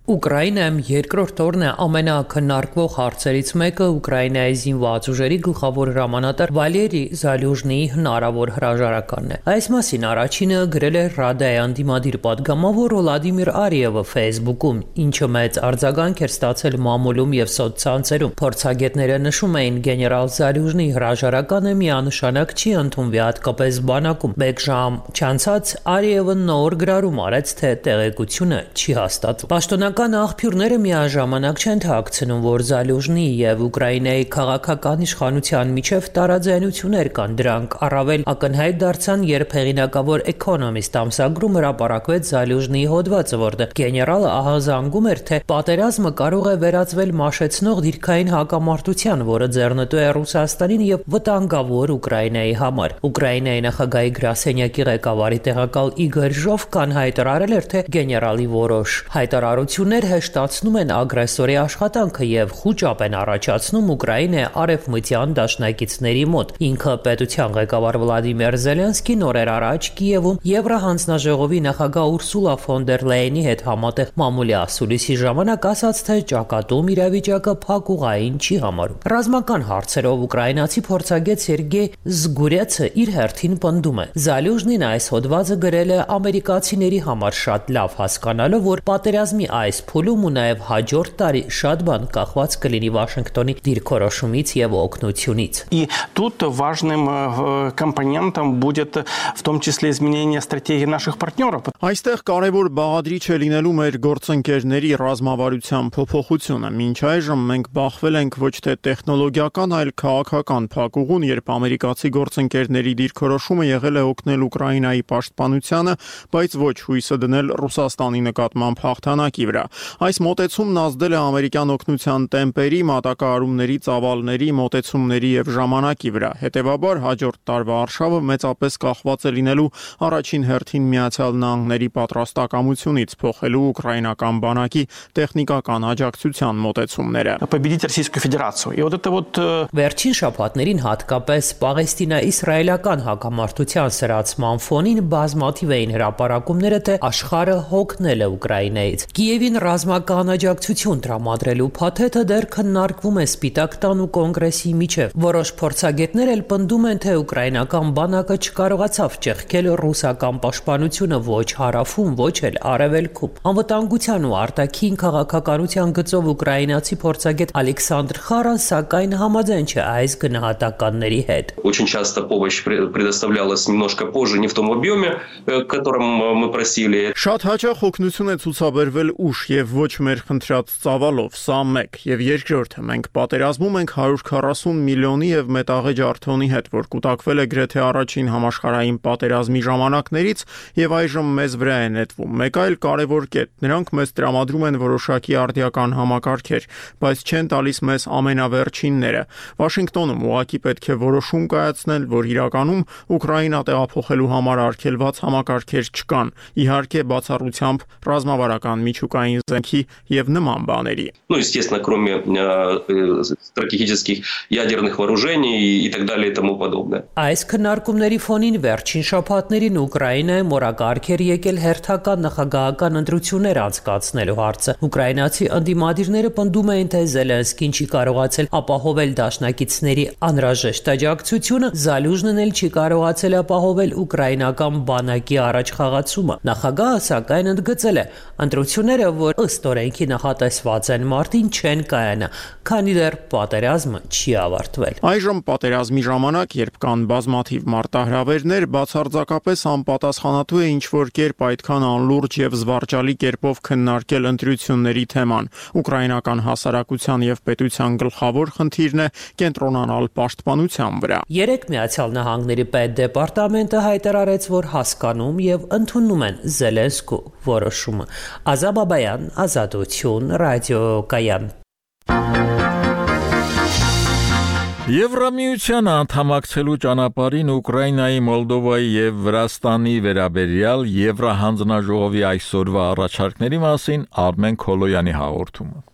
Ուկրաինայում երկրորդ օրն է ամենաքննարկվող հարցերից մեկը Ուկրաինայի զինված ուժերի գլխավոր հրամանատար Վալերի Զալյուժնիի հնարավոր հրաժարականն է։ Այս մասին առաջինը գրել է Ռադայի անդիմադիր պատգամավոր Վլադիմիր Արիևը Facebook-ում, ինչը մեծ արձագանք էր ստացել մամուլում եւ սոցցանցերում։ Փորձագետները նշում էին, գեներալ Զալյուժնիի հրաժարականը միանշանակ չի ընդունվի հատկապես բանակում։ Մեկ ժամ չանցած Արիևը նոր գրառում արեց, թե տեղեկությունը չի հաստատվում։ Պաշտոնական աղբյուրները միաժամանակ չեն թաքցնում, որ Զալյուժնիի եւ Ուկրաինայի քաղաքական իշխանության միջև տարաձայնություններ կան։ Դրանք առավել ակնհայտ դարձան, երբ հեղինակավոր Economist ամսագրում հրապարակվեց Զալյուժնիի հոդվածը, որտեղ գեներալը ահազանգում էր, թե պատերազմը կարող է վերածվել մաշեցնող դիրքային հակամարտության, որը ձեռնտու է Ռուսաստանին եւ վտանգավոր Ուկրաինայի համար։ Ուկրաինայի նախագահի գրասենյակի ղեկավարի տեղակալ Իգոր Ժովկան հայտարարել էր, թե գեներալի որոշ հայտարարություն հեշտացնում են ագրեսորի աշխատանքը եւ խուճապ են առաջացնում Ուկրաինայի արևմտյան դաշնակիցների մոտ։ Ինքը պետության ղեկավար Վլադիմիր Զելենսկին օրեր առաջ Կիևում Եվրահանձնաժողովի նախագահ Ուրսուլա ֆոն դեր Լեյենի հետ համատեղ մամուլի ասուլիսի ժամանակ ասաց, թե ճակատում իրավիճակը փակուղային չի համարում։ Ռազմական հարցերով ուկրաինացի փորձագետ Սերգեյ Զգուրյացը իր հերթին պնդում է. Զալյուժնին այս հոդվածը գրել է ամերիկացիների համար շատ լավ հասկանալով, որ պատերազմի այս փուլում ու նաև հաջորդ տարի շատ բան կախված կլինի Վաշինգտոնի դիրքորոշումից եւ օգնությունից։ И тут важным компонентом будет в том числе изменение стратегии наших партнеров. Այստեղ կարևոր բաղադրիչ է լինելու մեր գործընկերների ռազմավարության փոփոխությունը։ Մինչ այժմ մենք բախվել ենք ոչ թե տեխնոլոգիական, այլ քաղաքական փակուղուն, երբ ամերիկացի գործընկերների դիրքորոշումը եղել է օգնել Ուկրաինայի պաշտպանությանը, բայց ոչ հույսը դնել Ռուսաստանի նկատմամբ հաղթանակի վրա։ Այս մոտեցումն ազդել է ամերիկյան օգնության տեմպերի, մատակարարումների, ծավալների, մոտեցումների եւ ժամանակի վրա։ Հետևաբար հաջորդ տարվա արշավը մեծապես կախված է լինելու առաջին հերթին Միացյալ Նահանգների պատրաստակամությունից փոխելու ուկրաինական բանակի տեխնիկական աջակցության մոտեցումները։ Победить Российскую Федерацию. И вот это вот Վերջին շաբաթներին հատկապես Պաղեստինա-իսրայելական հակամարտության սրացման ֆոնին բազմաթիվ էին հրապարակումները, թե աշխարհը հոգնել է Ուկրաինայից։ Կիևին ռազմական աջակցություն տրամադրելու փաթեթը դեռ քննարկվում է Սպիտակ տան ու կոնգրեսի միջև։ Որոշ փորձագետներ էլ պնդում են, թե ուկրաինական բանակը չկարողացավ ճեղքել ռուսական պաշտպանությունը ոչ հարավում, ոչ էլ արևելքում։ Անվտանգության ու արտաքին քաղաքականության գծով ուկրաինացի փորձագետ Ալեքսանդր Խարան սակայն համաձայն չէ այս գնահատականների հետ։ Очень часто помощь предоставлялась немножко позже, не в том объеме, которым мы просили. Շատ հաճախ օգնություն է ցուցաբերվել ուշ ուշ եւ ոչ մեր խնդրած ծավալով, սա մեկ, եւ երկրորդը մենք պատերազմում ենք հարյուր քառասուն միլիոնի եւ մետաղե ջարդոնի հետ, որ կուտակվել է գրեթե առաջին համաշխարհային պատերազմի ժամանակներից եւ այժմ մեզ վրա է նետվում։ Մեկ այլ կարևոր կետ, նրանք մեզ տրամադրում են որոշակի արդիական համակարգեր, բայց չեն տալիս մեզ ամենավերջինները։ Վաշինգտոնում ուղղակի պետք է որոշում կայացնել, որ իրականում Ուկրաինա տեղափոխելու համար արգելված համակարգեր չկան, իհարկե բացառությամբ ռազմավարական միջուկային զենքի եւ նման բաների։ Ну, естественно, кроме э, стратегических ядерных вооружений и так далее и тому подобное. Այս քննարկումների ֆոնին վերջին շաբաթներին Ուկրաինայում օրակարգ էր եկել հերթական նախագահական ընտրություններ անցկացնելու հարցը։ Ուկրաինացի ընդդիմադիրները պնդում էին, թե Զելենսկին չի կարողացել ապահովել դաշնակիցների անհրաժեշտ աջակցությունը, Զալյուժնն էլ չի կարողացել ապահովել ուկրաինական բանակի առաջխաղացումը։ Նախագահը սակայն ընդգծել է, ընտրությունները, որ ըստ օրենքի նախատեսված են մարտին, չեն կայանա, քանի դեռ պատերազմը չի ավարտվել։ Այժմ պատերազմի ժամանակ, երբ կան բազմաթիվ մարտահրավերներ, բացարձակապես անպատասխանատու է ինչ-որ կերպ այդքան անլուրջ եւ զվարճալի կերպով քննարկել ընտրությունների թեման։ Ուկրաինական հասարակության եւ պետության գլխավոր խնդիրն է կենտրոնանալ պաշտպանության վրա։ Երեք Միացյալ Նահանգների պետդեպարտամենտը հայտարարեց, որ հասկանում եւ ընդունում են Զելենսկու որոշումը։ Ազատ Բաբայան, Ազատություն, Ռադիոկայան։ Եվրամիությանը անդամակցելու ճանապարհին Ուկրաինայի, Մոլդովայի եւ Վրաստանի վերաբերյալ Եվրահանձնաժողովի այսօրվա առաջարկների մասին Արմեն Քոլոյանի հաղորդումը։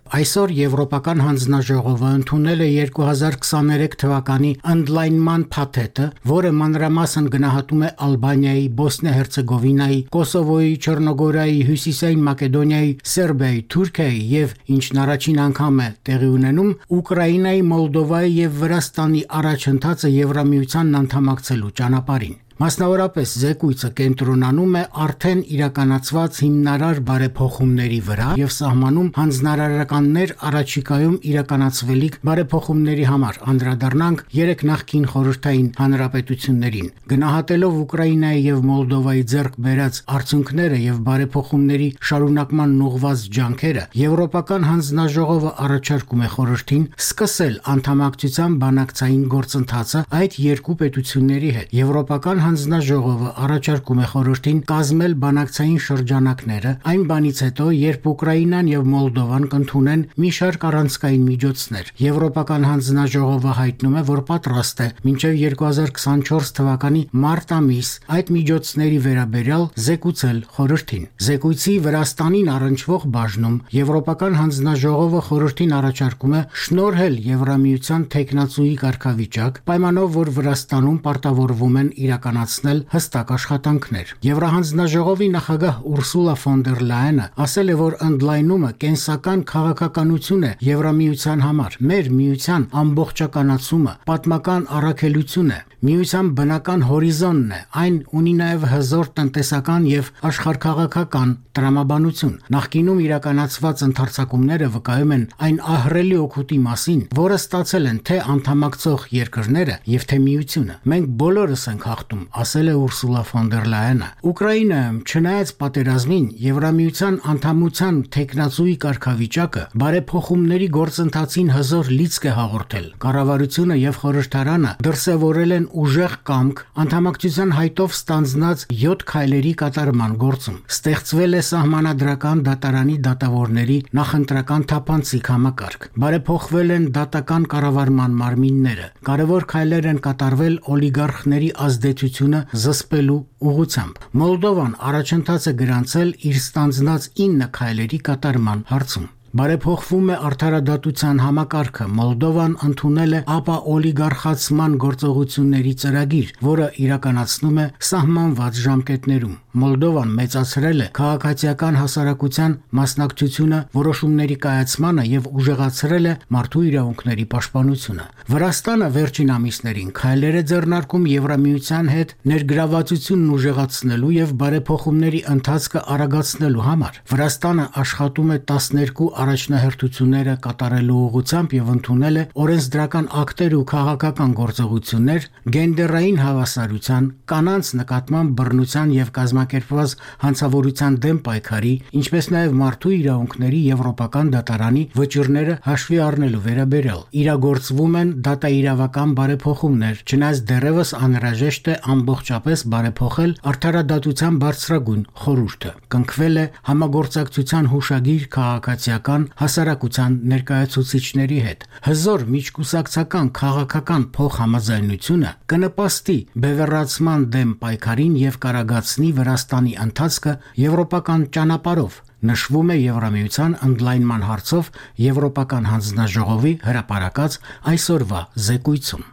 Այսօր Եվրոպական հանձնաժողովը ընդունել է երկու հազար քսաներեք թվականի ընդլայնման փաթեթը, որը մանրամասն գնահատում է Ալբանիայի, Բոսնիա-Հերցեգովինայի, Կոսովոյի, Չեռնոգորիայի, Հյուսիսային Մակեդոնիայի, Սերբիայի, Թուրքիայի եւ ինչն առաջին անգամ է տեղի ունենում Ուկրաինայի, Մոլդովայի եւ Վրաստանի առաջընթացը Եվրամիությանն անդամակցելու ճանապարհին։ Մասնավորապես զեկույցը կենտրոնանում է արդեն իրականացված հիմնարար բարեփոխումների վրա եւ սահմանում հանձնարարականներ առաջիկայում իրականացվելիք բարեփոխումների համար, անդրադառնանք երեք նախկին խորհրդային հանրապետություններին։ Գնահատելով Ուկրաինայի եւ Մոլդովայի ձեռք բերած արդյունքները եւ բարեփոխումների շարունակման ուղղված ջանքերը, Եվրոպական հանձնաժողովը առաջարկում է խորհրդին սկսել անդամակցության բանակցային գործընթացը այդ երկու պետությունների հետ։ Եվրոպական հանձնաժողովը առաջարկում է խորհրդին կազմել բանակցային շրջանակները այն բանից հետո, երբ Ուկրաինան եւ Մոլդովան կընդունեն մի շարք առանցքային միջոցներ։ Եվրոպական հանձնաժողովը հայտնում է, որ պատրաստ է մինչեւ երկու հազար քսանչորս թվականի մարտ ամիս այդ միջոցների վերաբերյալ զեկուցել խորհրդին։ Զեկույցի Վրաստանին առնչվող բաժնում Եվրոպական հանձնաժողովը խորհրդին առաջարկում է շնորհել Եվրամիության թեկնածուի կարգավիճակ, պայմանով որ Վրաստանում պարտավորվում են իրական հստակ աշխատանքներ։ Եվրահանձնաժողովի նախագահ Ուրսուլա ֆոն դեր Լայենը ասել է, որ ընդլայնումը կենսական քաղաքականություն է Եվրամիության համար։ Մեր միության ամբողջականացումը պատմական առաքելություն է, միության բնական հորիզոնն է, այն ունի նաև հզոր տնտեսական եւ աշխարհքաղաքական տրամաբանություն։ Նախկինում իրականացված ընթերցակումները վկայում են այն ահռելի օգուտի մասին, որը ստացել են թե անդամակցող երկրները եւ թե միությունը։ Մենք բոլորս ենք հաղթում, ասել է Ուրսուլա ֆոն դեր Լայենը։ Ուկրաինայում չնայած պատերազմին Եվրամիության անդամության թեկնածուի կարգավիճակը բարեփոխումների գործընթացին հզոր լիցք է հաղորդել։ Կառավարությունը եւ խորհրդարանը դրսեւորել են ուժեղ կամք անդամակցության հայտով ստանձնած յոթ քայլերի կատարման գործում։ Ստեղծվել է սահմանադրական դատարանի դատավորների նախընտրական թափանցիկ համակարգ։ Բարեփոխվել են դատական կառավարման մարմինները։ Կարևոր քայլեր են կատարվել օլիգարխների ազդեցությունը զսպելու ուղղությամբ։ Մոլդովան առաջընթաց է գրանցել իր ստանձնած ինը քայլերի կատարման հարցում։ Բարեփոխվում է արդարադատության համակարգը։ Մոլդովան ընդունել է ապա օլիգարխացման գործողությունների ծրագիր, որը իրականացնում է սահմանված ժամկետներում։ Մոլդովան մեծացրել է քաղաքացիական հասարակության մասնակցությունը որոշումների կայացմանը եւ ուժեղացրել է մարդու իրավունքների պաշտպանությունը։ Վրաստանը վերջին ամիսներին քայլեր է ձեռնարկում Եվրամիության հետ ներգրավվածությունն ուժեղացնելու եւ բարեփոխումների ընթացքը արագացնելու համար։ Վրաստանը աշխատում է տասներկու առաջնահերթությունները կատարելու ուղղությամբ եւ ընդունել է օրենսդրական ակտեր ու քաղաքական գործողություններ գենդերային հավասարության, կանանց նկատմամբ բռնության եւ կազմակերպ կազմակերպված հանցավորության դեմ պայքարի, ինչպես նաև մարդու իրավունքների եվրոպական դատարանի վճիռները հաշվի առնելու վերաբերյալ։ Իրագործվում են դատաիրավական բարեփոխումներ, չնայած դեռևս անհրաժեշտ է ամբողջապես բարեփոխել արդարադատության բարձրագույն խորհուրդը։ Կնքվել է համագործակցության հուշագիր քաղաքացիական հասարակության ներկայացուցիչների հետ։ Հզոր միջկուսակցական քաղաքական փոխհամաձայնությունը կնպաստի բևեռացման դեմ պայքարին եւ կարագացնի Վրաստանի ընթացքը եվրոպական ճանապարհով, նշվում է Եվրամիության ընդլայնման հարցով Եվրոպական հանձնաժողովի հրապարակած այսօրվա զեկույցում։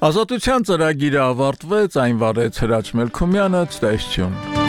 Ազատության ծրագիրը ավարտվեց, այն վարեց Հրաչ Մելքումյանը, ցտեսություն։